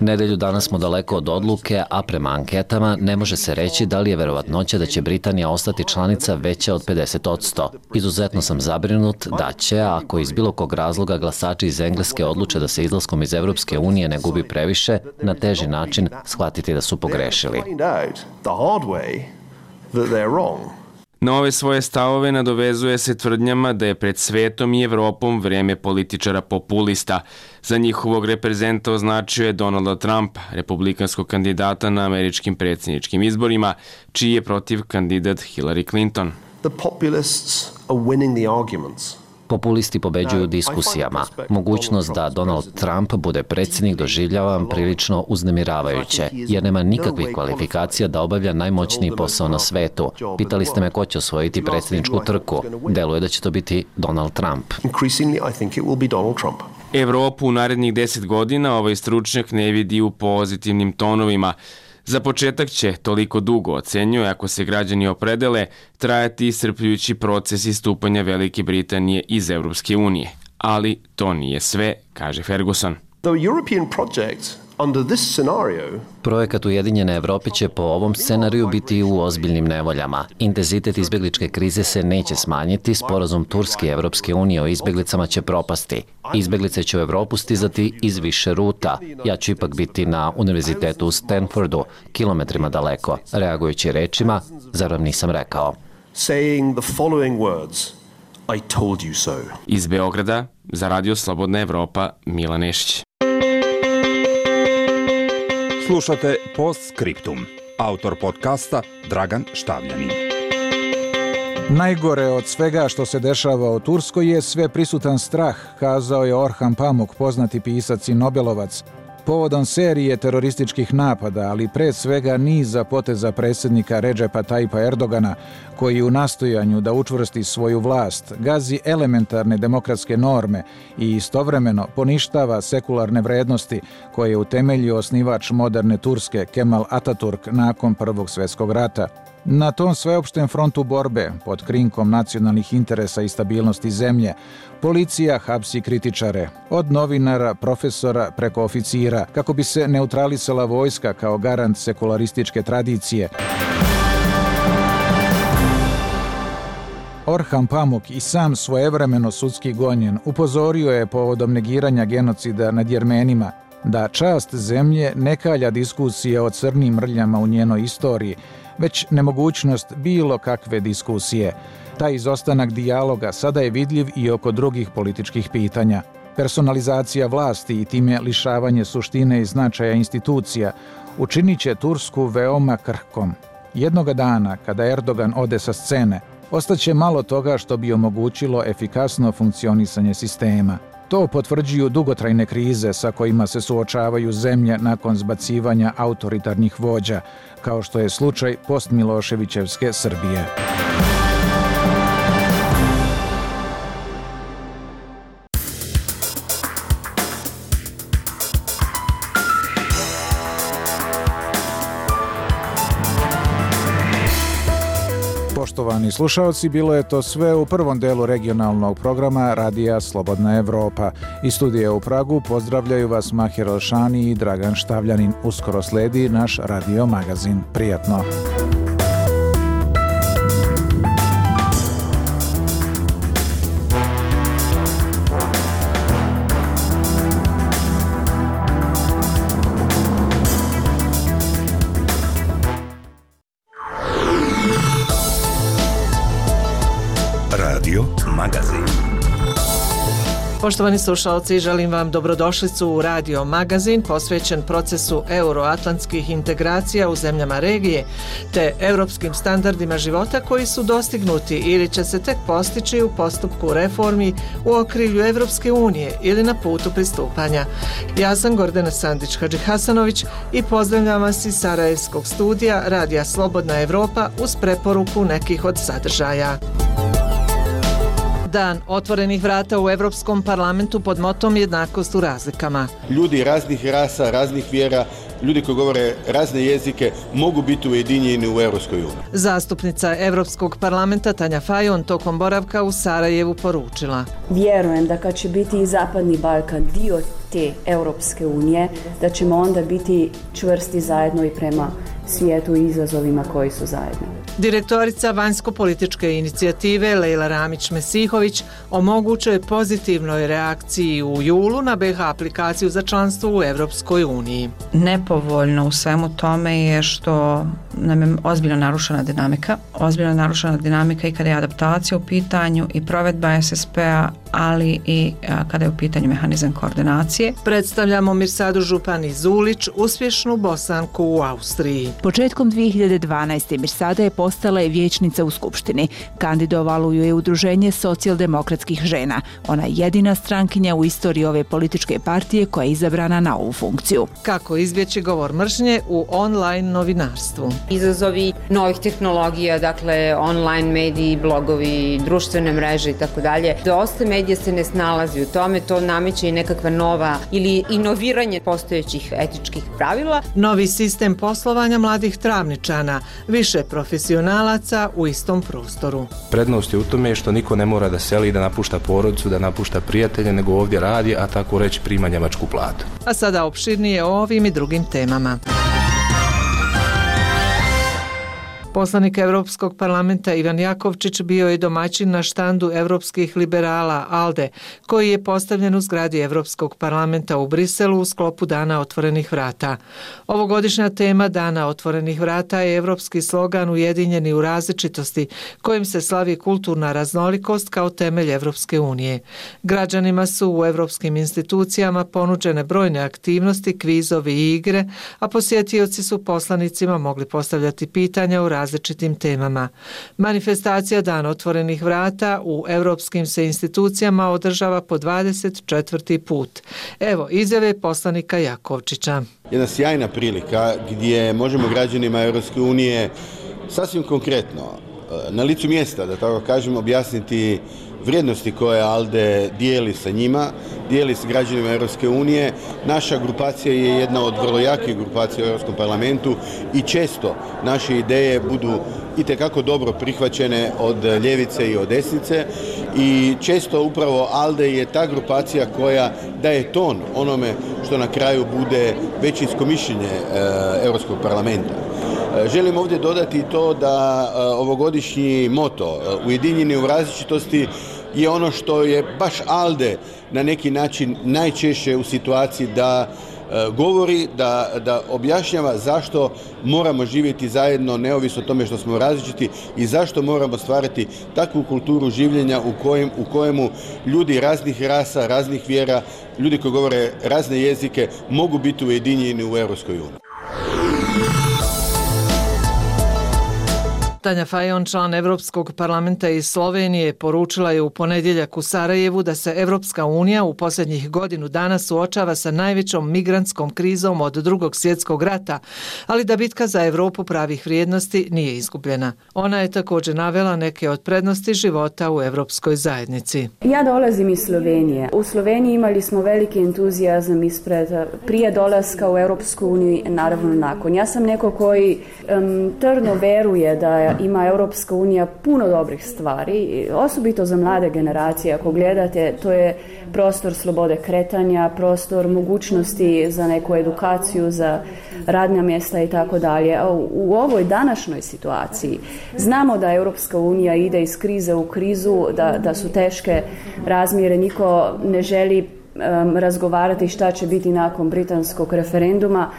Nedelju danas smo daleko od odluke, a prema anketama ne može se reći da li je verovatnoća da će Britanija ostati članica veća od 50%. Izuzetno sam zabrinut da će, ako iz bilo kog razloga glasači iz Engleske odluče da se izlaskom iz Evropske unije ne gubi previše, na teži način shvatiti da su pogrešili. Na ove svoje stavove nadovezuje se tvrdnjama da je pred svetom i Evropom vreme političara populista. Za njihovog reprezenta označio je Donalda Trumpa, republikanskog kandidata na američkim predsjedničkim izborima, čiji je protiv kandidat Hillary Clinton. Populisti pobeđuju diskusijama. Mogućnost da Donald Trump bude predsjednik doživljavam prilično uznemiravajuće, jer nema nikakvih kvalifikacija da obavlja najmoćniji posao na svetu. Pitali ste me ko će osvojiti predsjedničku trku. Deluje da će to biti Donald Trump. Evropu u narednih 10 godina ovaj stručnjak ne vidi u pozitivnim tonovima. Za početak će, toliko dugo ocenjuje, ako se građani opredele, trajati iscrpljujući proces istupanja Velike Britanije iz Evropske unije. Ali to nije sve, kaže Ferguson. Projekat Ujedinjene Evrope će po ovom scenariju biti u ozbiljnim nevoljama. Intenzitet izbjegličke krize se neće smanjiti, sporazum Turske i Evropske unije o izbjeglicama će propasti. Izbjeglice će u Evropu stizati iz više ruta. Ja ću ipak biti na univerzitetu u Stanfordu, kilometrima daleko. Reagujući rečima, zar vam nisam rekao? Iz Beograda, za Radio Slobodna Evropa, Mila Nešić. Slušate Postscriptum. Autor podcasta Dragan Štavljanin. Najgore od svega što se dešava u Turskoj je sve prisutan strah, kazao je Orhan Pamuk, poznati pisac i Nobelovac, povodom serije terorističkih napada, ali pre svega niza poteza predsjednika Redžepa Tajpa Erdogana, koji u nastojanju da učvrsti svoju vlast gazi elementarne demokratske norme i istovremeno poništava sekularne vrednosti koje je utemeljio osnivač moderne Turske Kemal Ataturk nakon Prvog svjetskog rata. Na tom sveopštem frontu borbe, pod krinkom nacionalnih interesa i stabilnosti zemlje, policija hapsi kritičare, od novinara, profesora preko oficira, kako bi se neutralisala vojska kao garant sekularističke tradicije. Orhan Pamuk, i sam svojevremeno sudski gonjen, upozorio je povodom negiranja genocida nad Jermenima da čast zemlje ne kalja diskusije o crnim mrljama u njenoj istoriji, već nemogućnost bilo kakve diskusije. Taj izostanak dijaloga sada je vidljiv i oko drugih političkih pitanja. Personalizacija vlasti i time lišavanje suštine i značaja institucija učinit će Tursku veoma krhkom. Jednoga dana, kada Erdogan ode sa scene, ostaće malo toga što bi omogućilo efikasno funkcionisanje sistema. To potvrđuju dugotrajne krize sa kojima se suočavaju zemlje nakon zbacivanja autoritarnih vođa, kao što je slučaj postmiloševićevske Srbije. Poštovani slušaoci, bilo je to sve u prvom delu regionalnog programa Radija Slobodna Evropa. Iz studija u Pragu pozdravljaju vas Mahir Elšani i Dragan Štavljanin. Uskoro sledi naš radio magazin. Prijatno! Radio magazin. Poštovani slušalci, želim vam dobrodošlicu u Radio magazin posvećen procesu euroatlantskih integracija u zemljama regije te europskim standardima života koji su dostignuti ili će se tek postići u postupku reformi u okrilju Evropske unije ili na putu pristupanja. Ja sam Gordana Sandić-Hadžihasanović i pozdravljam vas iz Sarajevskog studija Radija Slobodna Evropa uz preporuku nekih od sadržaja. Dan otvorenih vrata u Evropskom parlamentu pod motom jednakost u razlikama. Ljudi raznih rasa, raznih vjera, ljudi koji govore razne jezike mogu biti ujedinjeni u Evropskoj uniji. Zastupnica Evropskog parlamenta Tanja Fajon tokom boravka u Sarajevu poručila: Vjerujem da kad će biti i Zapadni Balkan dio te Europske unije, da ćemo onda biti čvrsti zajedno i prema svijetu i izazovima koji su zajedno. Direktorica vanjsko-političke inicijative Lejla Ramić-Mesihović o mogućoj pozitivnoj reakciji u julu na BiH aplikaciju za članstvo u Evropskoj uniji. Nepovoljno u svemu tome je što nam je ozbiljno narušena dinamika. Ozbiljno narušena dinamika i kada je adaptacija u pitanju i provedba SSP-a, ali i kada je u pitanju mehanizam koordinacije. Predstavljamo Mirsadu Župani Zulić, uspješnu Bosanku u Austriji. Početkom 2012. Mirsada je postala vijećnica u Skupštini. Kandidovalo ju je Udruženje socijaldemokratskih žena. Ona je jedina strankinja u istoriji ove političke partije koja je izabrana na ovu funkciju. Kako izbjeći govor mržnje u online novinarstvu? Izazovi novih tehnologija, dakle online mediji, blogovi, društvene mreže i tako dalje. Dosta medija se ne snalazi u tome, to nameće i nekakva nova ili inoviranje postojećih etičkih pravila. Novi sistem poslovanja mladih Travničana, više profesionalaca u istom prostoru. Prednost je u tome što niko ne mora da seli, da napušta porodicu, da napušta prijatelje, nego ovdje radi, a tako reći prima njemačku platu. A sada opširnije o ovim i drugim temama. Poslanik Evropskog parlamenta Ivan Jakovčić bio je domaćin na štandu evropskih liberala ALDE, koji je postavljen u zgradi Evropskog parlamenta u Briselu u sklopu Dana otvorenih vrata. Ovogodišnja tema Dana otvorenih vrata je evropski slogan Ujedinjeni u različitosti, kojim se slavi kulturna raznolikost kao temelj Evropske unije. Građanima su u evropskim institucijama ponuđene brojne aktivnosti, kvizovi i igre, a posjetioci su poslanicima mogli postavljati pitanja u različitim temama. Manifestacija Dan otvorenih vrata u evropskim se institucijama održava po 24. put. Evo izjave poslanika Jakovčića. Jedna sjajna prilika gdje možemo građanima Europske unije sasvim konkretno, na licu mjesta, da tako kažem, objasniti vrijednosti koje ALDE dijeli sa njima, dijeli s građanima Europske unije. Naša grupacija je jedna od vrlo jakih grupacija u Europskom parlamentu i često naše ideje budu itekako dobro prihvaćene od ljevice i od desnice i često upravo ALDE je ta grupacija koja daje ton onome što na kraju bude većinsko mišljenje Europskog parlamenta. Želim ovdje dodati to da ovogodišnji moto Ujedinjeni u različitosti je ono što je baš ALDE na neki način najčešće u situaciji da govori, da objašnjava zašto moramo živjeti zajedno neovisno o tome što smo različiti i zašto moramo stvarati takvu kulturu življenja u kojemu ljudi raznih rasa, raznih vjera, ljudi koji govore razne jezike mogu biti ujedinjeni u Europskoj uniji. Tanja Fajon, član Evropskog parlamenta iz Slovenije, poručila je u ponedjeljak u Sarajevu da se Evropska unija u posljednjih godinu dana suočava sa najvećom migrantskom krizom od Drugog svjetskog rata, ali da bitka za Europu pravih vrijednosti nije izgubljena. Ona je također navela neke od prednosti života u Evropskoj zajednici. Ja dolazim iz Slovenije. U Sloveniji imali smo veliki entuzijazam prije dolaska u Europsku uniju i naravno nakon. Ja sam neko koji tvrdo veruje da da ima Europska unija puno dobrih stvari, osobito za mlade generacije. Ako gledate, to je prostor slobode kretanja, prostor mogućnosti za neku edukaciju, za radna mjesta i tako dalje. U ovoj današnjoj situaciji znamo da Europska unija ide iz krize u krizu, da su teške razmjere, niko ne želi razgovarati šta će biti nakon britanskog referenduma,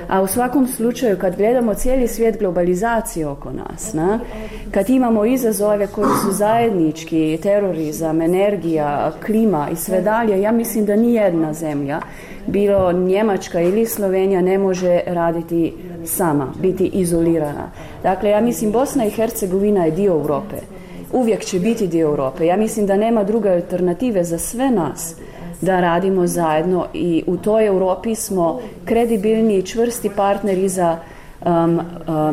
a u svakom slučaju kad gledamo cijeli svijet globalizacije oko nas, kad imamo izazove koji su zajednički, terorizam, energija, klima i sve dalje, ja mislim da nijedna zemlja, bilo Njemačka ili Slovenija, ne može raditi sama, biti izolirana. Dakle, ja mislim Bosna i Hercegovina je dio Europe. Uvijek će biti dio Europe. Ja mislim da nema druge alternative za sve nas da radimo zajedno i u toj Europi smo kredibilni i čvrsti partneri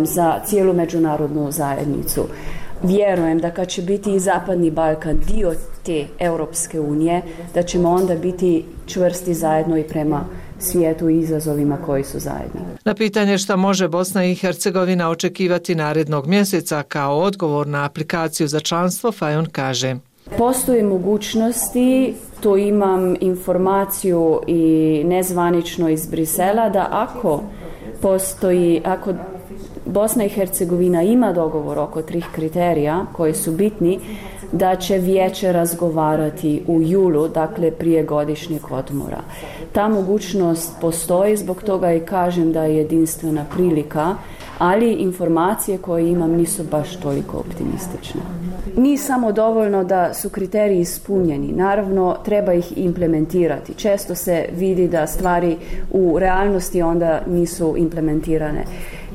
za cijelu međunarodnu zajednicu. Vjerujem da kad će biti i Zapadni Balkan dio te Europske unije, da ćemo onda biti čvrsti zajedno i prema svijetu i izazovima koji su zajedni. Na pitanje šta može Bosna i Hercegovina očekivati narednog mjeseca kao odgovor na aplikaciju za članstvo, Fajon kaže: Postoje mogućnosti, to imam informaciju i nezvanično iz Brisela, da ako Bosna i Hercegovina ima dogovor oko 3 kriterija koji su bitni, da će vijeće razgovarati u julu, dakle prije godišnjeg odmora. Ta mogućnost postoji, zbog toga i kažem da je jedinstvena prilika, ali informacije koje imam nisu baš toliko optimistične. Nije samo dovoljno da su kriteriji ispunjeni, naravno treba ih implementirati. Često se vidi da stvari u realnosti onda nisu implementirane.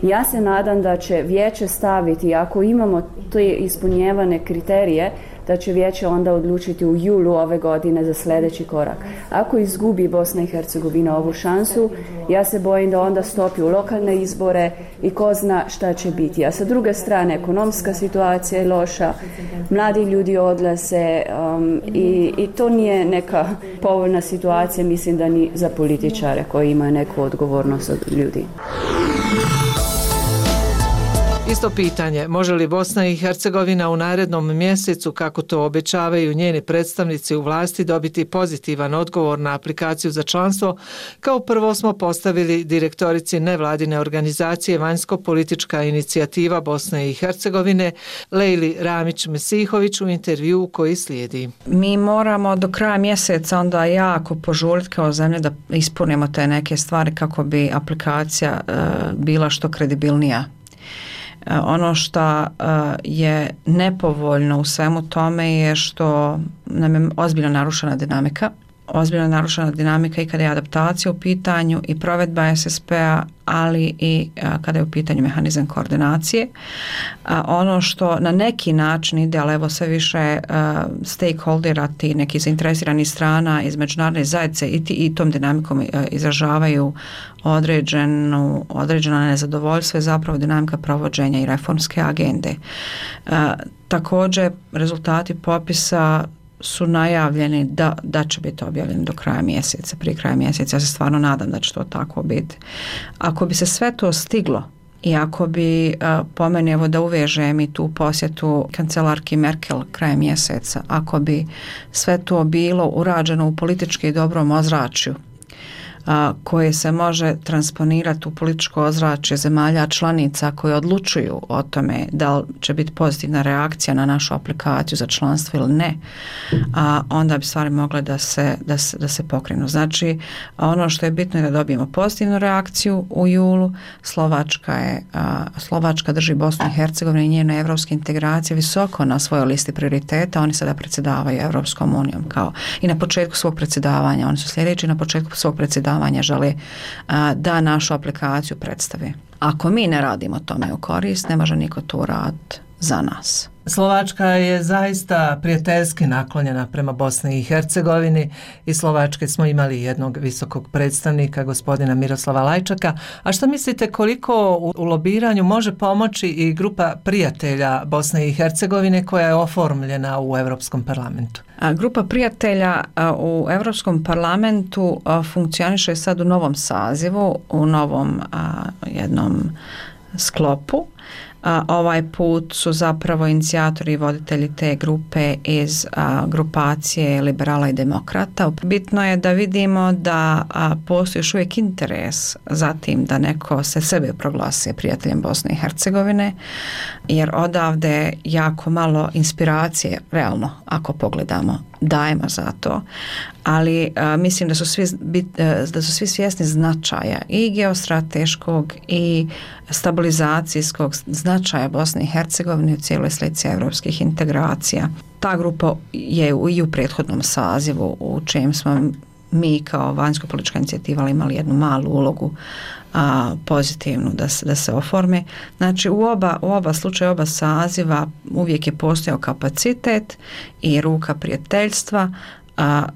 Ja se nadam da će vijeće staviti, ako imamo te ispunjevane kriterije, da će vijeće onda odlučiti u julu ove godine za sljedeći korak. Ako izgubi Bosna i Hercegovina ovu šansu, ja se bojim da onda stopi u lokalne izbore i ko zna šta će biti. A sa druge strane, ekonomska situacija je loša, mladi ljudi odlaze i to nije neka povoljna situacija, mislim da ni za političare koji imaju neku odgovornost od ljudi. Isto pitanje, može li Bosna i Hercegovina u narednom mjesecu, kako to obećavaju njeni predstavnici u vlasti, dobiti pozitivan odgovor na aplikaciju za članstvo? Kao prvo smo postavili direktorici nevladine organizacije Vanjsko-politička inicijativa Bosne i Hercegovine, Lejli Ramić-Mesihović, u intervju koji slijedi. Mi moramo do kraja mjeseca onda jako požuriti kao zemlja da ispunimo te neke stvari kako bi aplikacija bila što kredibilnija. Ono što je nepovoljno u svemu tome je što nam je ozbiljno narušena dinamika. Ozbiljno narušena dinamika i kada je adaptacija u pitanju i provedba SSP-a, ali i kada je u pitanju mehanizam koordinacije. Ono što na neki način ide, ali evo sve više stakeholdera, ti neki zainteresiranih strana iz međunarodne zajednice i tom dinamikom izražavaju određeno nezadovoljstvo, je zapravo dinamika provođenja i reformske agende. Također rezultati popisa su najavljeni da će biti objavljeni do kraja mjeseca, prije kraja mjeseca. Ja se stvarno nadam da će to tako biti. Ako bi se sve to stiglo i ako bi, po meni, evo da uvežem i tu posjetu kancelarki Merkel krajem mjeseca, ako bi sve to bilo urađeno u politički dobrom ozračju, koje se može transponirati u političko ozračje zemalja članica koje odlučuju o tome da li će biti pozitivna reakcija na našu aplikaciju za članstvo ili ne, onda bi stvari mogle da se pokrenu. Znači, ono što je bitno je da dobijemo pozitivnu reakciju u julu. Slovačka drži Bosnu i Hercegovinu i njene evropske integracije visoko na svojoj listi prioriteta. Oni sada predsjedavaju Evropskom unijom i na početku svog predsjedavanja. Oni su sljedeći na početku svog predsjedavanja žele da našu aplikaciju predstave. Ako mi ne radimo tome u korist, ne može niko to raditi za nas. Slovačka je zaista prijateljski naklonjena prema Bosni i Hercegovini. Iz Slovačke smo imali jednog visokog predstavnika, gospodina Miroslava Lajčaka. A što mislite, koliko u lobiranju može pomoći i grupa prijatelja Bosne i Hercegovine koja je oformljena u Europskom parlamentu? Grupa prijatelja u Europskom parlamentu funkcioniše sad u novom sazivu, u novom jednom sklopu. Ovaj put su zapravo inicijatori i voditelji te grupe iz grupacije liberala i demokrata. Bitno je da vidimo da postoji još uvijek interes za tim da neko se sebe proglasi prijateljem Bosne i Hercegovine, jer odavde jako malo inspiracije, realno, ako pogledamo, dajemo za to, ali mislim da su svi svjesni značaja i geostrateškog i stabilizacijskog značaja Bosne i Hercegovine u cijeloj slici evropskih integracija. Ta grupa je i u prethodnom sazivu u čem smo mi kao vanjsko-politička inicijativa imali jednu malu ulogu pozitivnu da se oforme. Znači u oba slučaja, oba saziva uvijek je postojao kapacitet i ruka prijateljstva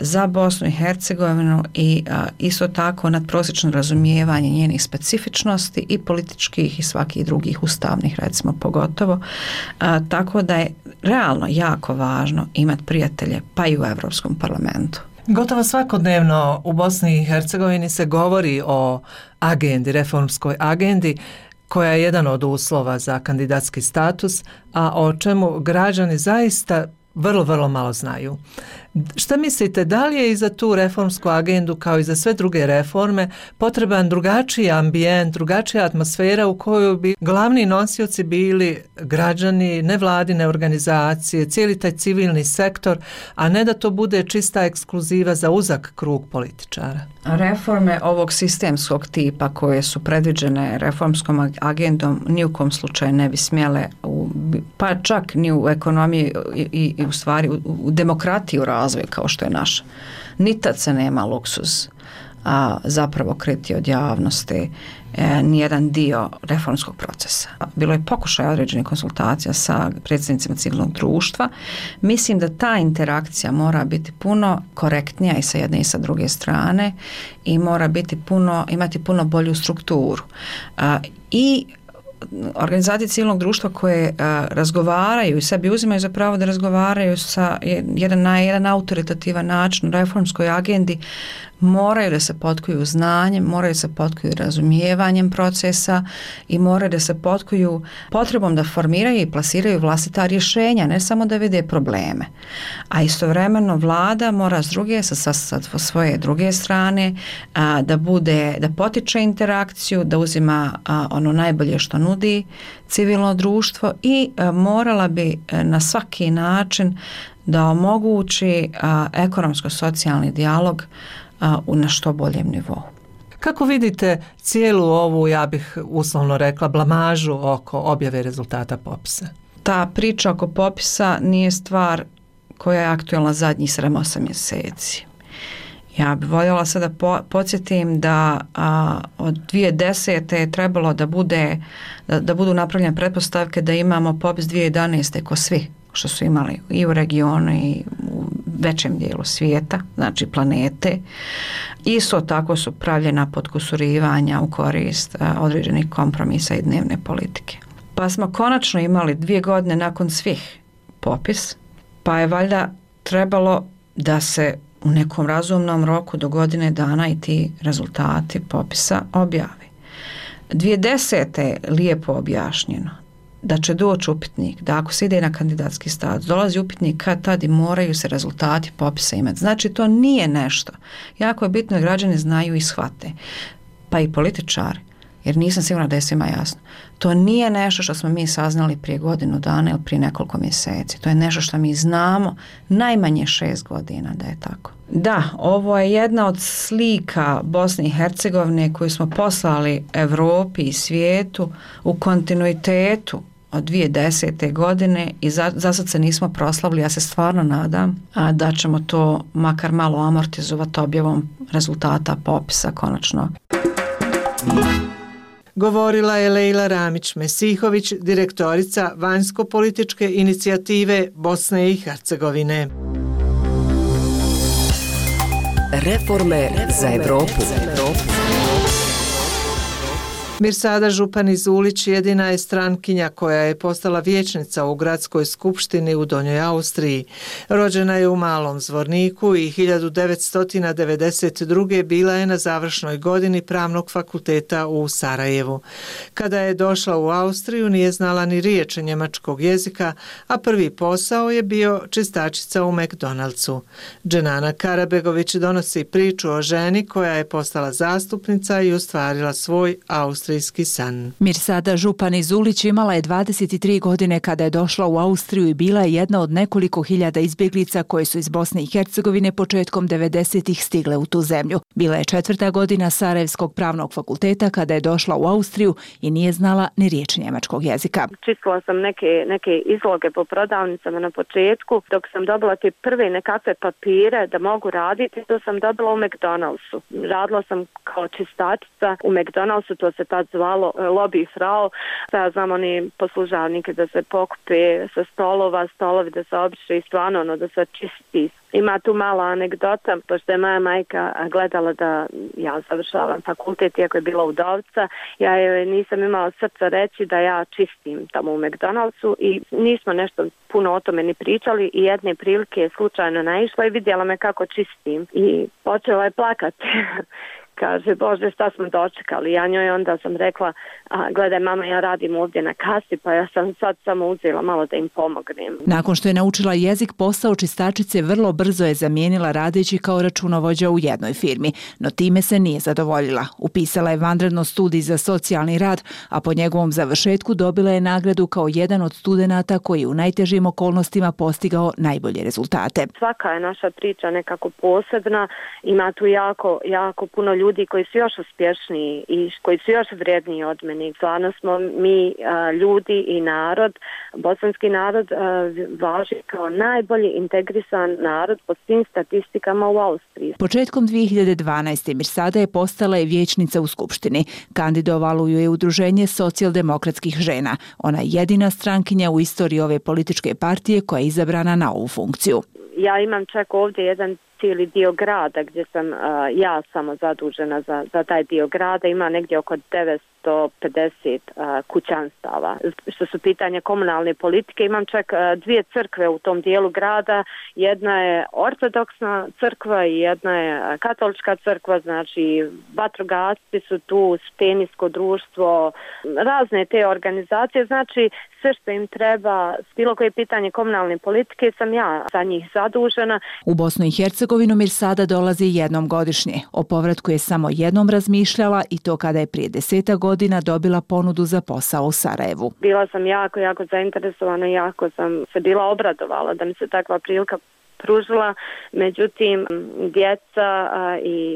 za Bosnu i Hercegovinu i isto tako nadprosječno razumijevanje njenih specifičnosti i političkih i svakih drugih ustavnih, recimo pogotovo. Tako da je realno jako važno imati prijatelje pa i u Europskom parlamentu. Gotovo svakodnevno u Bosni i Hercegovini se govori o agendi, reformskoj agendi, koja je jedan od uslova za kandidatski status, a o čemu građani zaista vrlo malo znaju. Šta mislite, da li je i za tu reformsku agendu, kao i za sve druge reforme, potreban drugačiji ambijent, drugačija atmosfera u kojoj bi glavni nosioci bili građani, nevladine organizacije, cijeli taj civilni sektor, a ne da to bude čista ekskluziva za uzak krug političara? Reforme ovog sistemskog tipa koje su predviđene reformskom agendom ni u kom slučaju ne bi smjele, pa čak ni u ekonomiji i u stvari u demokratiji u razvoju kao što je naša. Ni tad se nema luksuz zapravo kriti od javnosti nijedan dio reformskog procesa. Bilo je pokušaj određenih konsultacija sa predstavnicima civilnog društva. Mislim da ta interakcija mora biti puno korektnija i sa jedne i sa druge strane i mora biti imati puno bolju strukturu. I organizacije civilnog društva koje razgovaraju i sebi uzimaju za pravo da razgovaraju na jedan autoritativan način o reformskoj agendi, moraju da se potkuju znanjem, moraju da se potkuju razumijevanjem procesa i moraju da se potkuju potrebom da formiraju i plasiraju vlastita rješenja, ne samo da vide probleme. A istovremeno vlada mora sa svoje druge strane da potiče interakciju, da uzima ono najbolje što nudi civilno društvo i morala bi na svaki način da omogući ekonomsko-socijalni dijalog na što boljem nivou. Kako vidite cijelu ovu, ja bih uslovno rekla, blamažu oko objave rezultata popisa? Ta priča oko popisa nije stvar koja je aktualna zadnjih 7-8 mjeseci. Ja bih voljela sada podsjetim da od 2010. je trebalo da budu napravljene pretpostavke da imamo popis 2011. ko svi što su imali i u regionu i u većem dijelu svijeta, znači planete. Isto tako su pravljena potkusurivanja u korist određenih kompromisa i dnevne politike. Pa smo konačno imali 2 godine nakon svih popis, pa je valjda trebalo da se u nekom razumnom roku do godine dana i ti rezultati popisa objavi. 2010. je lijepo objašnjeno da će doći upitnik, da ako se ide na kandidatski status, dolazi upitnik kad tad i moraju se rezultati popisa imati. Znači to nije nešto. Jako je bitno da građani znaju i shvate, pa i političari, jer nisam sigurna da je svima jasno. To nije nešto što smo mi saznali prije godinu dana ili prije nekoliko mjeseci. To je nešto što mi znamo najmanje 6 godina da je tako. Da, ovo je jedna od slika Bosne i Hercegovine koju smo poslali Europi i svijetu u kontinuitetu od 2010. godine i za sad se nismo proslavili. Ja se stvarno nadam da ćemo to makar malo amortizovati objavom rezultata popisa konačno. Govorila je Lejla Ramić-Mesihović, direktorica vanjsko-političke inicijative Bosne i Hercegovine. Reforme za Evropu. Mirsada Županić-Zulić jedina je strankinja koja je postala vijećnica u gradskoj skupštini u Donjoj Austriji. Rođena je u Malom Zvorniku i 1992. bila je na završnoj godini Pravnog fakulteta u Sarajevu. Kada je došla u Austriju nije znala ni riječ njemačkog jezika, a prvi posao je bio čistačica u McDonald'su. Dženana Karabegović donosi priču o ženi koja je postala zastupnica i ostvarila svoj austrijski san. Mirsada Županić-Zulić imala je 23 godine kada je došla u Austriju i bila je jedna od nekoliko hiljada izbjeglica koje su iz Bosne i Hercegovine početkom 90-ih stigle u tu zemlju. Bila je 4. godina Sarajevskog pravnog fakulteta kada je došla u Austriju i nije znala ni riječ njemačkog jezika. Čistila sam neke izloge po prodavnicama na početku. Dok sam dobila te prve nekakve papire da mogu raditi, to sam dobila u McDonald'su. Radila sam kao čistačica u McDonald'su, to se tad zvalo lobby frau. Ja znam oni poslužavnike da se pokupe sa stolovi da se obriše i stvarno da se čisti. Ima tu mala anegdota, pošto je moja majka gledala da ja završavam fakultet, iako je bila udovica, ja joj nisam imala srca reći da ja čistim tamo u McDonald'su i nismo nešto puno o tome ni pričali i jedne prilike je slučajno naišla i vidjela me kako čistim i počela je plakati. Kaže, Bože, šta smo dočekali? Ja njoj onda sam rekla, gledaj mama, ja radim ovdje na kasi, pa ja sam sad samo uzela malo da im pomognem. Nakon što je naučila jezik, posao čistačice vrlo brzo je zamijenila radeći kao računovođa u jednoj firmi, no time se nije zadovoljila. Upisala je vanredno studij za socijalni rad, a po njegovom završetku dobila je nagradu kao jedan od studenata koji u najtežim okolnostima postigao najbolje rezultate. Svaka je naša priča nekako posebna, ima tu jako puno ljudi koji su još uspješniji i koji su još vrijedniji od meni. Stvarno smo mi ljudi i narod, bosanski narod važi kao najbolji integrisan narod po svim statistikama u Austriji. Početkom 2012. Mirsada je postala i vijećnica u Skupštini. Kandidovalo ju je Udruženje socijaldemokratskih žena. Ona je jedina strankinja u istoriji ove političke partije koja je izabrana na ovu funkciju. Ja imam čak ovdje jedan cijeli dio grada gdje sam ja samo zadužena za taj dio grada. Ima negdje oko 950 kućanstava. Što su pitanje komunalne politike, imam čak dvije crkve u tom dijelu grada. Jedna je ortodoksna crkva i jedna je katolička crkva, znači vatrogasci su tu, stenijsko društvo, razne te organizacije, znači sve što im treba, bilo koje pitanje komunalne politike sam ja za njih zadužena. U Bosnu i Hercegovinu Mirsada dolazi jednom godišnje. O povratku je samo jednom razmišljala i to kada je prije 10 godina dobila ponudu za posao u Sarajevu. Bila sam jako zainteresovana, jako sam se bila obradovala da mi se takva prilika pružila, međutim djeca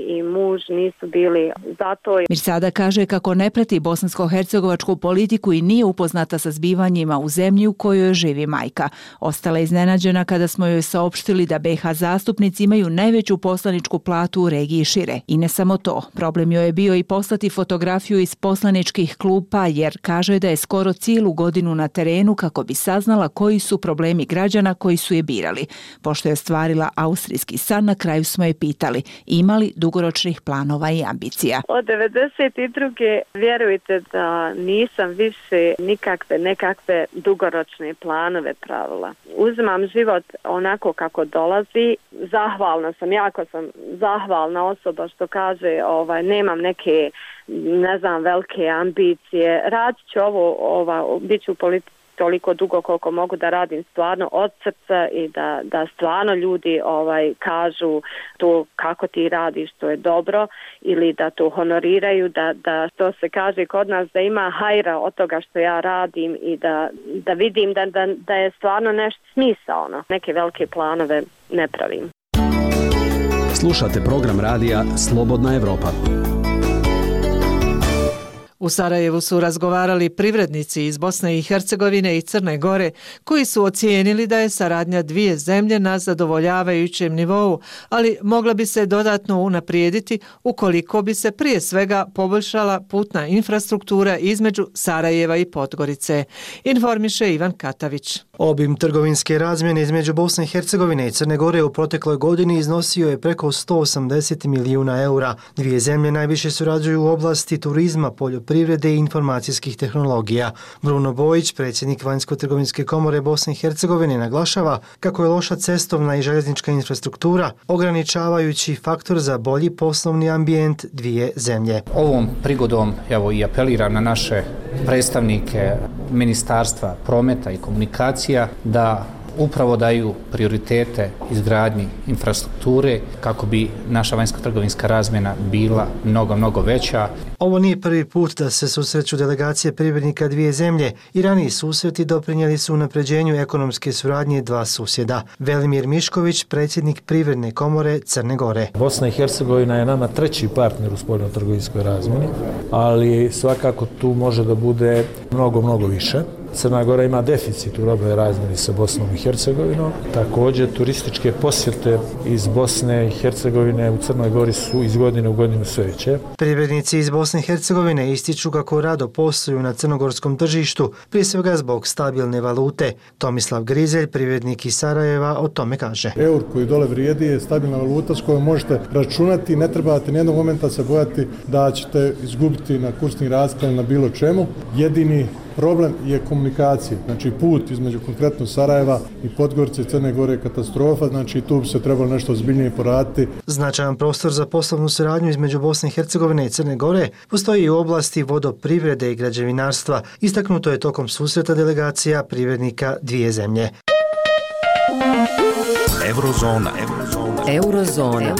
i muž nisu bili za to. Mirsada kaže kako ne prati bosansko-hercegovačku politiku i nije upoznata sa zbivanjima u zemlji u kojoj živi majka. Ostala je iznenađena kada smo joj saopštili da BiH zastupnici imaju najveću poslaničku platu u regiji šire. I ne samo to, problem joj je bio i poslati fotografiju iz poslaničkih klupa jer kaže da je skoro cijelu godinu na terenu kako bi saznala koji su problemi građana koji su je birali. Pošto je ostvarila austrijski san, na kraju smo je pitali ima li dugoročnih planova i ambicija. Od 92. vjerujte da nisam više nekakve dugoročne planove pravila. Uzimam život onako kako dolazi. Zahvalna sam, jako sam zahvalna osoba što kaže nemam neke velike ambicije. Radit ću bit ću u politici toliko dugo koliko mogu da radim stvarno od srca i da stvarno ljudi kažu to kako ti radiš, to je dobro ili da to honoriraju, da što se kaže kod nas da ima hajra od toga što ja radim i da vidim da je stvarno nešto smisaono. Neke velike planove ne pravim. Slušate program radija Slobodna Evropa. U Sarajevu su razgovarali privrednici iz Bosne i Hercegovine i Crne Gore koji su ocijenili da je saradnja dvije zemlje na zadovoljavajućem nivou, ali mogla bi se dodatno unaprijediti ukoliko bi se prije svega poboljšala putna infrastruktura između Sarajeva i Podgorice, informiše Ivan Katavić. Obim trgovinske razmjene između Bosne i Hercegovine i Crne Gore u protekloj godini iznosio je preko 180 milijuna eura. Dvije zemlje najviše surađuju u oblasti turizma, poljoprivrede i informacijskih tehnologija. Bruno Bojić, predsjednik Vanjsko-trgovinske komore Bosne i Hercegovine, naglašava kako je loša cestovna i željeznička infrastruktura ograničavajući faktor za bolji poslovni ambijent dvije zemlje. Ovom prigodom evo i apeliram na naše predstavnike Ministarstva prometa i komunikacija da upravo daju prioritete izgradnji infrastrukture kako bi naša vanjsko-trgovinska razmjena bila mnogo veća. Ovo nije prvi put da se susreću delegacije privrednika dvije zemlje i raniji susreti doprinijeli su unapređenju ekonomske suradnje dva susjeda. Velimir Mišković, predsjednik Privredne komore Crne Gore. Bosna i Hercegovina je nama treći partner u spoljno-trgovinskoj razmjeni, ali svakako tu može da bude mnogo više. Crna Gora ima deficit u robnoj razmjeni sa Bosnom i Hercegovinom. Također, turističke posjete iz Bosne i Hercegovine u Crnoj Gori su iz godine u godinu sve veće. Privrednici iz Bosne i Hercegovine ističu kako rado posluju na crnogorskom tržištu, prije svega zbog stabilne valute. Tomislav Grizelj, privrednik iz Sarajeva, o tome kaže. Eur koji dole vrijedi je stabilna valuta s kojom možete računati, ne trebate nijednog momenta se bojati da ćete izgubiti na kursnim razlikama na bilo čemu. Jedini problem je komunikacija, znači put između konkretno Sarajeva i Podgorice i Crne Gore je katastrofa, znači tu bi se trebalo nešto ozbiljnije poraditi. Značajan prostor za poslovnu suradnju između Bosne i Hercegovine i Crne Gore postoji i u oblasti vodoprivrede i građevinarstva. Istaknuto je tokom susreta delegacija privrednika dvije zemlje. Eurozona.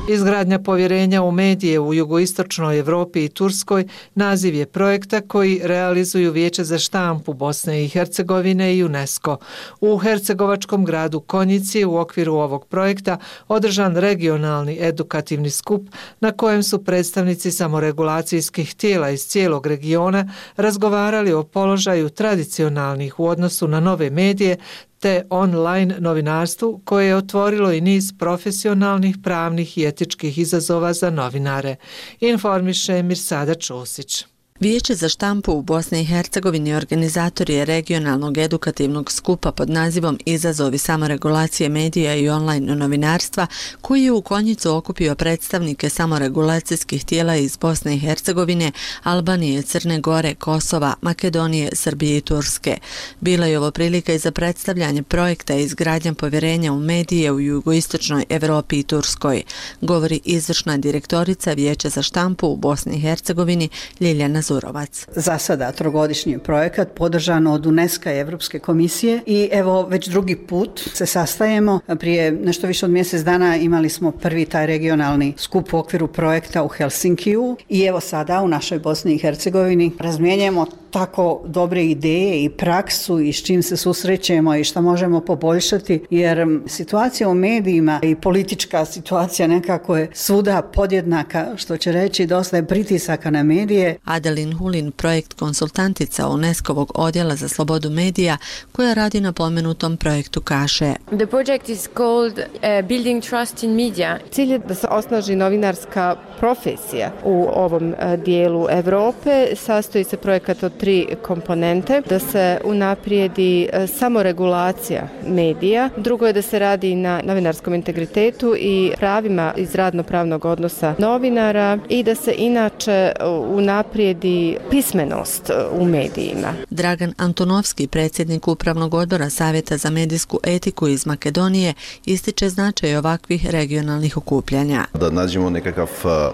Izgradnja povjerenja u medije u jugoistočnoj Evropi i Turskoj naziv je projekta koji realizuju Vijeće za štampu Bosne i Hercegovine i UNESCO. U hercegovačkom gradu Konjici u okviru ovog projekta održan regionalni edukativni skup na kojem su predstavnici samoregulacijskih tijela iz cijelog regiona razgovarali o položaju tradicionalnih u odnosu na nove medije te online novinarstvu koje je otvorilo i niz profesionalnih, pravnih i etičkih izazova za novinare. Informiše Mirsada Čosić. Vijeće za štampu u Bosni i Hercegovini organizator je regionalnog edukativnog skupa pod nazivom Izazovi samoregulacije medija i online novinarstva, koji je u Konjicu okupio predstavnike samoregulacijskih tijela iz Bosne i Hercegovine, Albanije, Crne Gore, Kosova, Makedonije, Srbije i Turske. Bila je ovo prilika i za predstavljanje projekta i izgradnja povjerenja u medije u jugoistočnoj Evropi i Turskoj, govori izvršna direktorica Vijeća za štampu u Bosni i Hercegovini Ljiljana Zurovac. Za sada trogodišnji projekat podržan od UNESCO i Evropske komisije i evo već drugi put se sastajemo. Prije nešto više od mjesec dana imali smo prvi taj regionalni skup u okviru projekta u Helsinkiju i evo sada u našoj Bosni i Hercegovini razmjenjujemo tako dobre ideje i praksu i s čim se susrećemo i šta možemo poboljšati, jer situacija u medijima i politička situacija nekako je svuda podjednaka, što će reći dosta je pritisaka na medije. Adelin Hulin, projekt konsultantica UNESCO-ovog odjela za slobodu medija koja radi na pomenutom projektu, kaže: The project is called Building Trust in Media. Cilj je da se osnaži novinarska profesija u ovom dijelu Evrope. Sastoji se projekat od 3 komponente: da se unaprijedi samoregulacija medija, drugo je da se radi na novinarskom integritetu i pravima iz radno-pravnog odnosa novinara i da se inače unaprijedi pismenost u medijima. Dragan Antonovski, predsjednik Upravnog odbora Savjeta za medijsku etiku iz Makedonije, ističe značaj ovakvih regionalnih okupljanja. Da nađemo nekakav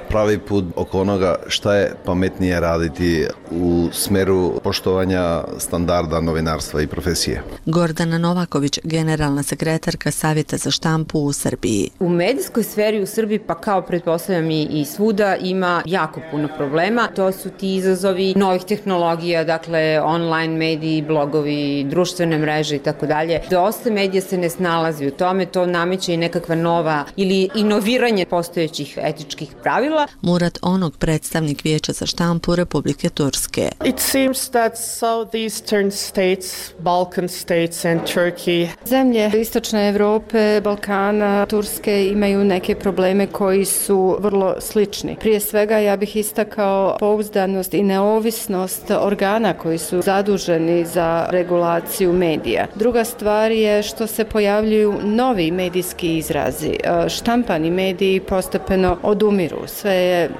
pravi put oko onoga šta je pametnije raditi u smeru poštovanja standarda novinarstva i profesije. Gordana Novaković, generalna sekretarka Savjeta za štampu u Srbiji. U medijskoj sferi u Srbiji, pa kao pretpostavljam i svuda, ima jako puno problema. To su ti izazovi novih tehnologija, dakle online mediji, blogovi, društvene mreže i tako dalje. Dosta medija se ne snalazi u tome, to nameće i nekakva nova ili inoviranje postojećih etičkih pravila. Murat Onog, predstavnik Vijeća za štampu Republike Turske. It's seems that southeastern states, Balkan states and Turkey. Zemlje istočne Evrope, Balkana, Turske imaju neke probleme koji su vrlo slični. Prije svega ja bih istakao pouzdanost i neovisnost organa koji su zaduženi za regulaciju medija. Druga stvar je što se pojavljuju novi medijski izrazi. Štampani mediji postepeno odumiru. Sve je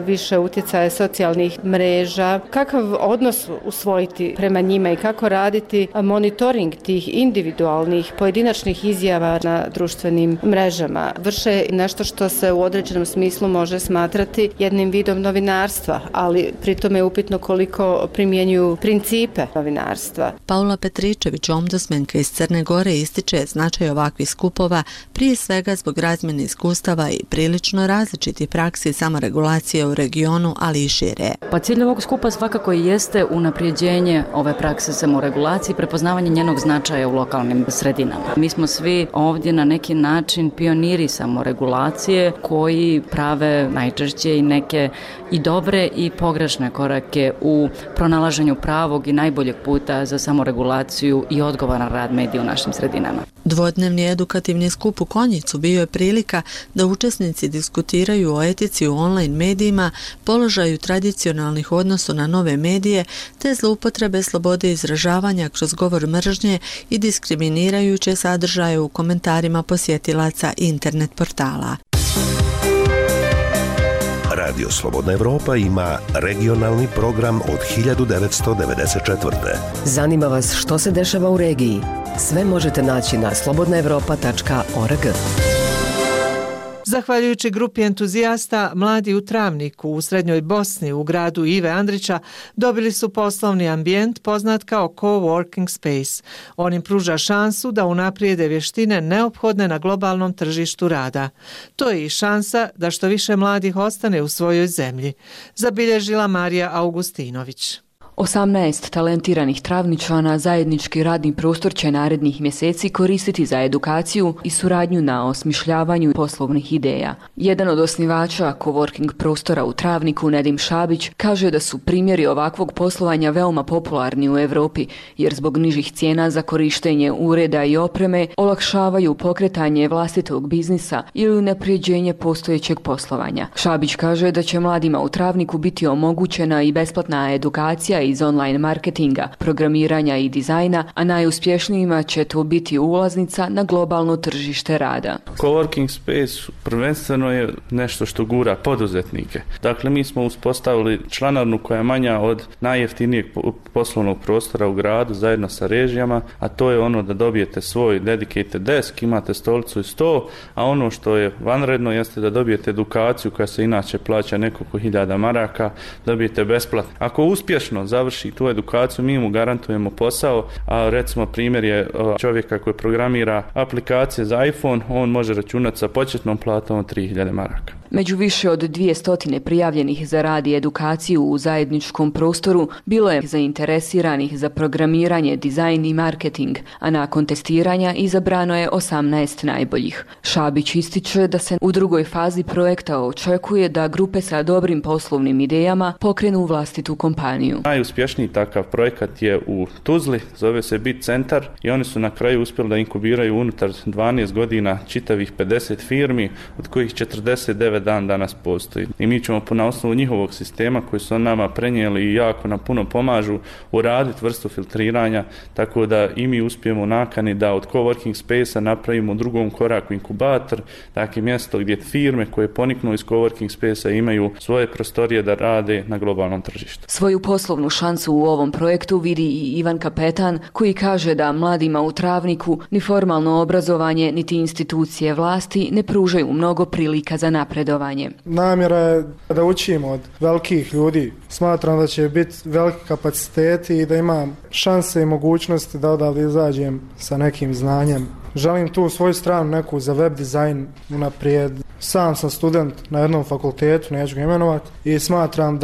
više utjecaje socijalnih mreža. Kakav odnos usvojiti prema njima i kako raditi monitoring tih individualnih pojedinačnih izjava na društvenim mrežama? Vrše nešto što se u određenom smislu može smatrati jednim vidom novinarstva, ali pritom je upitno koliko primjenjuju principe novinarstva. Paula Petričević, ombudsmenka iz Crne Gore, ističe značaj ovakvih skupova prije svega zbog razmjene iskustava i prilično različitih praksi samoregulacije u regionu, ali i šire. Pa cilj ovog skupa svakako jeste unapređenje ove prakse samoregulacije i prepoznavanje njenog značaja u lokalnim sredinama. Mi smo svi ovdje na neki način pioniri samoregulacije koji prave najčešće i neke i dobre i pogrešne korake u pronalaženju pravog i najboljeg puta za samoregulaciju i odgovoran rad medija u našim sredinama. Dvodnevni edukativni skup u Konjicu bio je prilika da učesnici diskutiraju o etici u online medijima, položaju tradicionalnih odnosa na nove medije te zloupotrebe slobode izražavanja kroz govor mržnje i diskriminirajuće sadržaje u komentarima posjetilaca internet portala. Radio Slobodna Evropa ima regionalni program od 1994. Zanima vas što se dešava u regiji? Sve možete naći na slobodnaevropa.org. Zahvaljujući grupi entuzijasta, mladi u Travniku u Srednjoj Bosni u gradu Ive Andrića dobili su poslovni ambijent poznat kao coworking space. On im pruža šansu da unaprijede vještine neophodne na globalnom tržištu rada. To je i šansa da što više mladih ostane u svojoj zemlji, zabilježila Marija Augustinović. 18 talentiranih Travničana zajednički radni prostor će narednih mjeseci koristiti za edukaciju i suradnju na osmišljavanju poslovnih ideja. Jedan od osnivača coworking prostora u Travniku, Nedim Šabić, kaže da su primjeri ovakvog poslovanja veoma popularni u Europi, jer zbog nižih cijena za korištenje ureda i opreme olakšavaju pokretanje vlastitog biznisa ili unapređenje postojećeg poslovanja. Šabić kaže da će mladima u Travniku biti omogućena i besplatna edukacija iz online marketinga, programiranja i dizajna, a najuspješnijima će to biti ulaznica na globalno tržište rada. Coworking space prvenstveno je nešto što gura poduzetnike. Dakle, mi smo uspostavili članarnu koja je manja od najjeftinijeg poslovnog prostora u gradu zajedno sa režijama, a to je ono da dobijete svoj dedicated desk, imate stolicu i sto, a ono što je vanredno jeste da dobijete edukaciju koja se inače plaća nekoliko hiljada maraka, dobijete besplatno. Ako uspješno završi tu edukaciju, mi mu garantujemo posao, a recimo primjer je čovjeka koji programira aplikacije za iPhone, on može računati sa početnom platom od 3000 maraka. Među više od 200 prijavljenih za rad i edukaciju u zajedničkom prostoru bilo je zainteresiranih za programiranje, dizajn i marketing, a nakon testiranja izabrano je 18 najboljih. Šabić ističe da se u drugoj fazi projekta očekuje da grupe sa dobrim poslovnim idejama pokrenu vlastitu kompaniju. Najuspješniji takav projekat je u Tuzli, zove se Bit Centar i oni su na kraju uspjeli da inkubiraju unutar 12 godina čitavih 50 firmi, od kojih 49 dan danas postoji. I mi ćemo na osnovu njihovog sistema koji su nama prenijeli i jako nam puno pomažu uraditi vrstu filtriranja, tako da i mi uspijemo nakani da od coworking space-a napravimo u drugom koraku inkubator, dakle mjesto gdje firme koje poniknu iz coworking space-a imaju svoje prostorije da rade na globalnom tržištu. Svoju poslovnu šansu u ovom projektu vidi i Ivan Kapetan, koji kaže da mladima u Travniku ni formalno obrazovanje niti institucije vlasti ne pružaju mnogo prilika za napredovanje. Namjera je da učimo od velikih ljudi. Smatram da će biti veliki kapaciteti i da imam šanse i mogućnosti da odavde izađem sa nekim znanjem. Želim tu svoju stranu neku za web dizajn unaprijed. Sam sam student na jednom fakultetu, neću ga imenovati, i smatram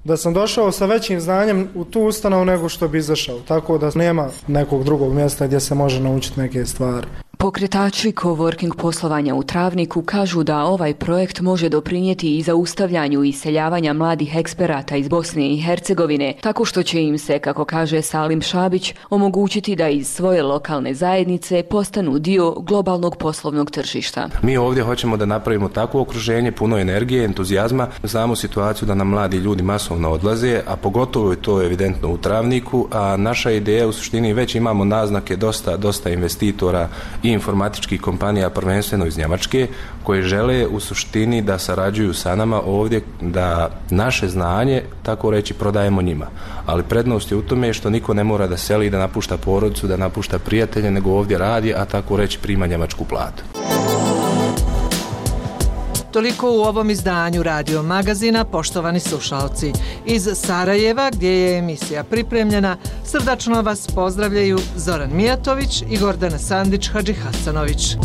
da sam došao sa većim znanjem u tu ustanovu nego što bi izašao, tako da nema nekog drugog mjesta gdje se može naučiti neke stvari. Pokretači coworking poslovanja u Travniku kažu da ovaj projekt može doprinijeti i zaustavljanju iseljavanja mladih eksperata iz Bosne i Hercegovine, tako što će im se, kako kaže Salim Šabić, omogućiti da iz svoje lokalne zajednice postanu dio globalnog poslovnog tržišta. Mi ovdje hoćemo da napravimo takvo okruženje, puno energije, entuzijazma. Znamo situaciju da nam mladi ljudi masovno odlaze, a pogotovo je to evidentno u Travniku, a naša ideja u suštini već imamo naznake dosta investitora i informatičkih kompanija, prvenstveno iz Njemačke, koje žele u suštini da sarađuju sa nama ovdje, da naše znanje, tako reći, prodajemo njima. Ali prednost je u tome što niko ne mora da seli, da napušta porodicu, da napušta prijatelje, nego ovdje radi, a tako reći prima njemačku platu. Toliko u ovom izdanju Radio Magazina, poštovani slušalci. Iz Sarajeva, gdje je emisija pripremljena, srdačno vas pozdravljaju Zoran Mijatović i Gordana Sandić-Hadžihasanović.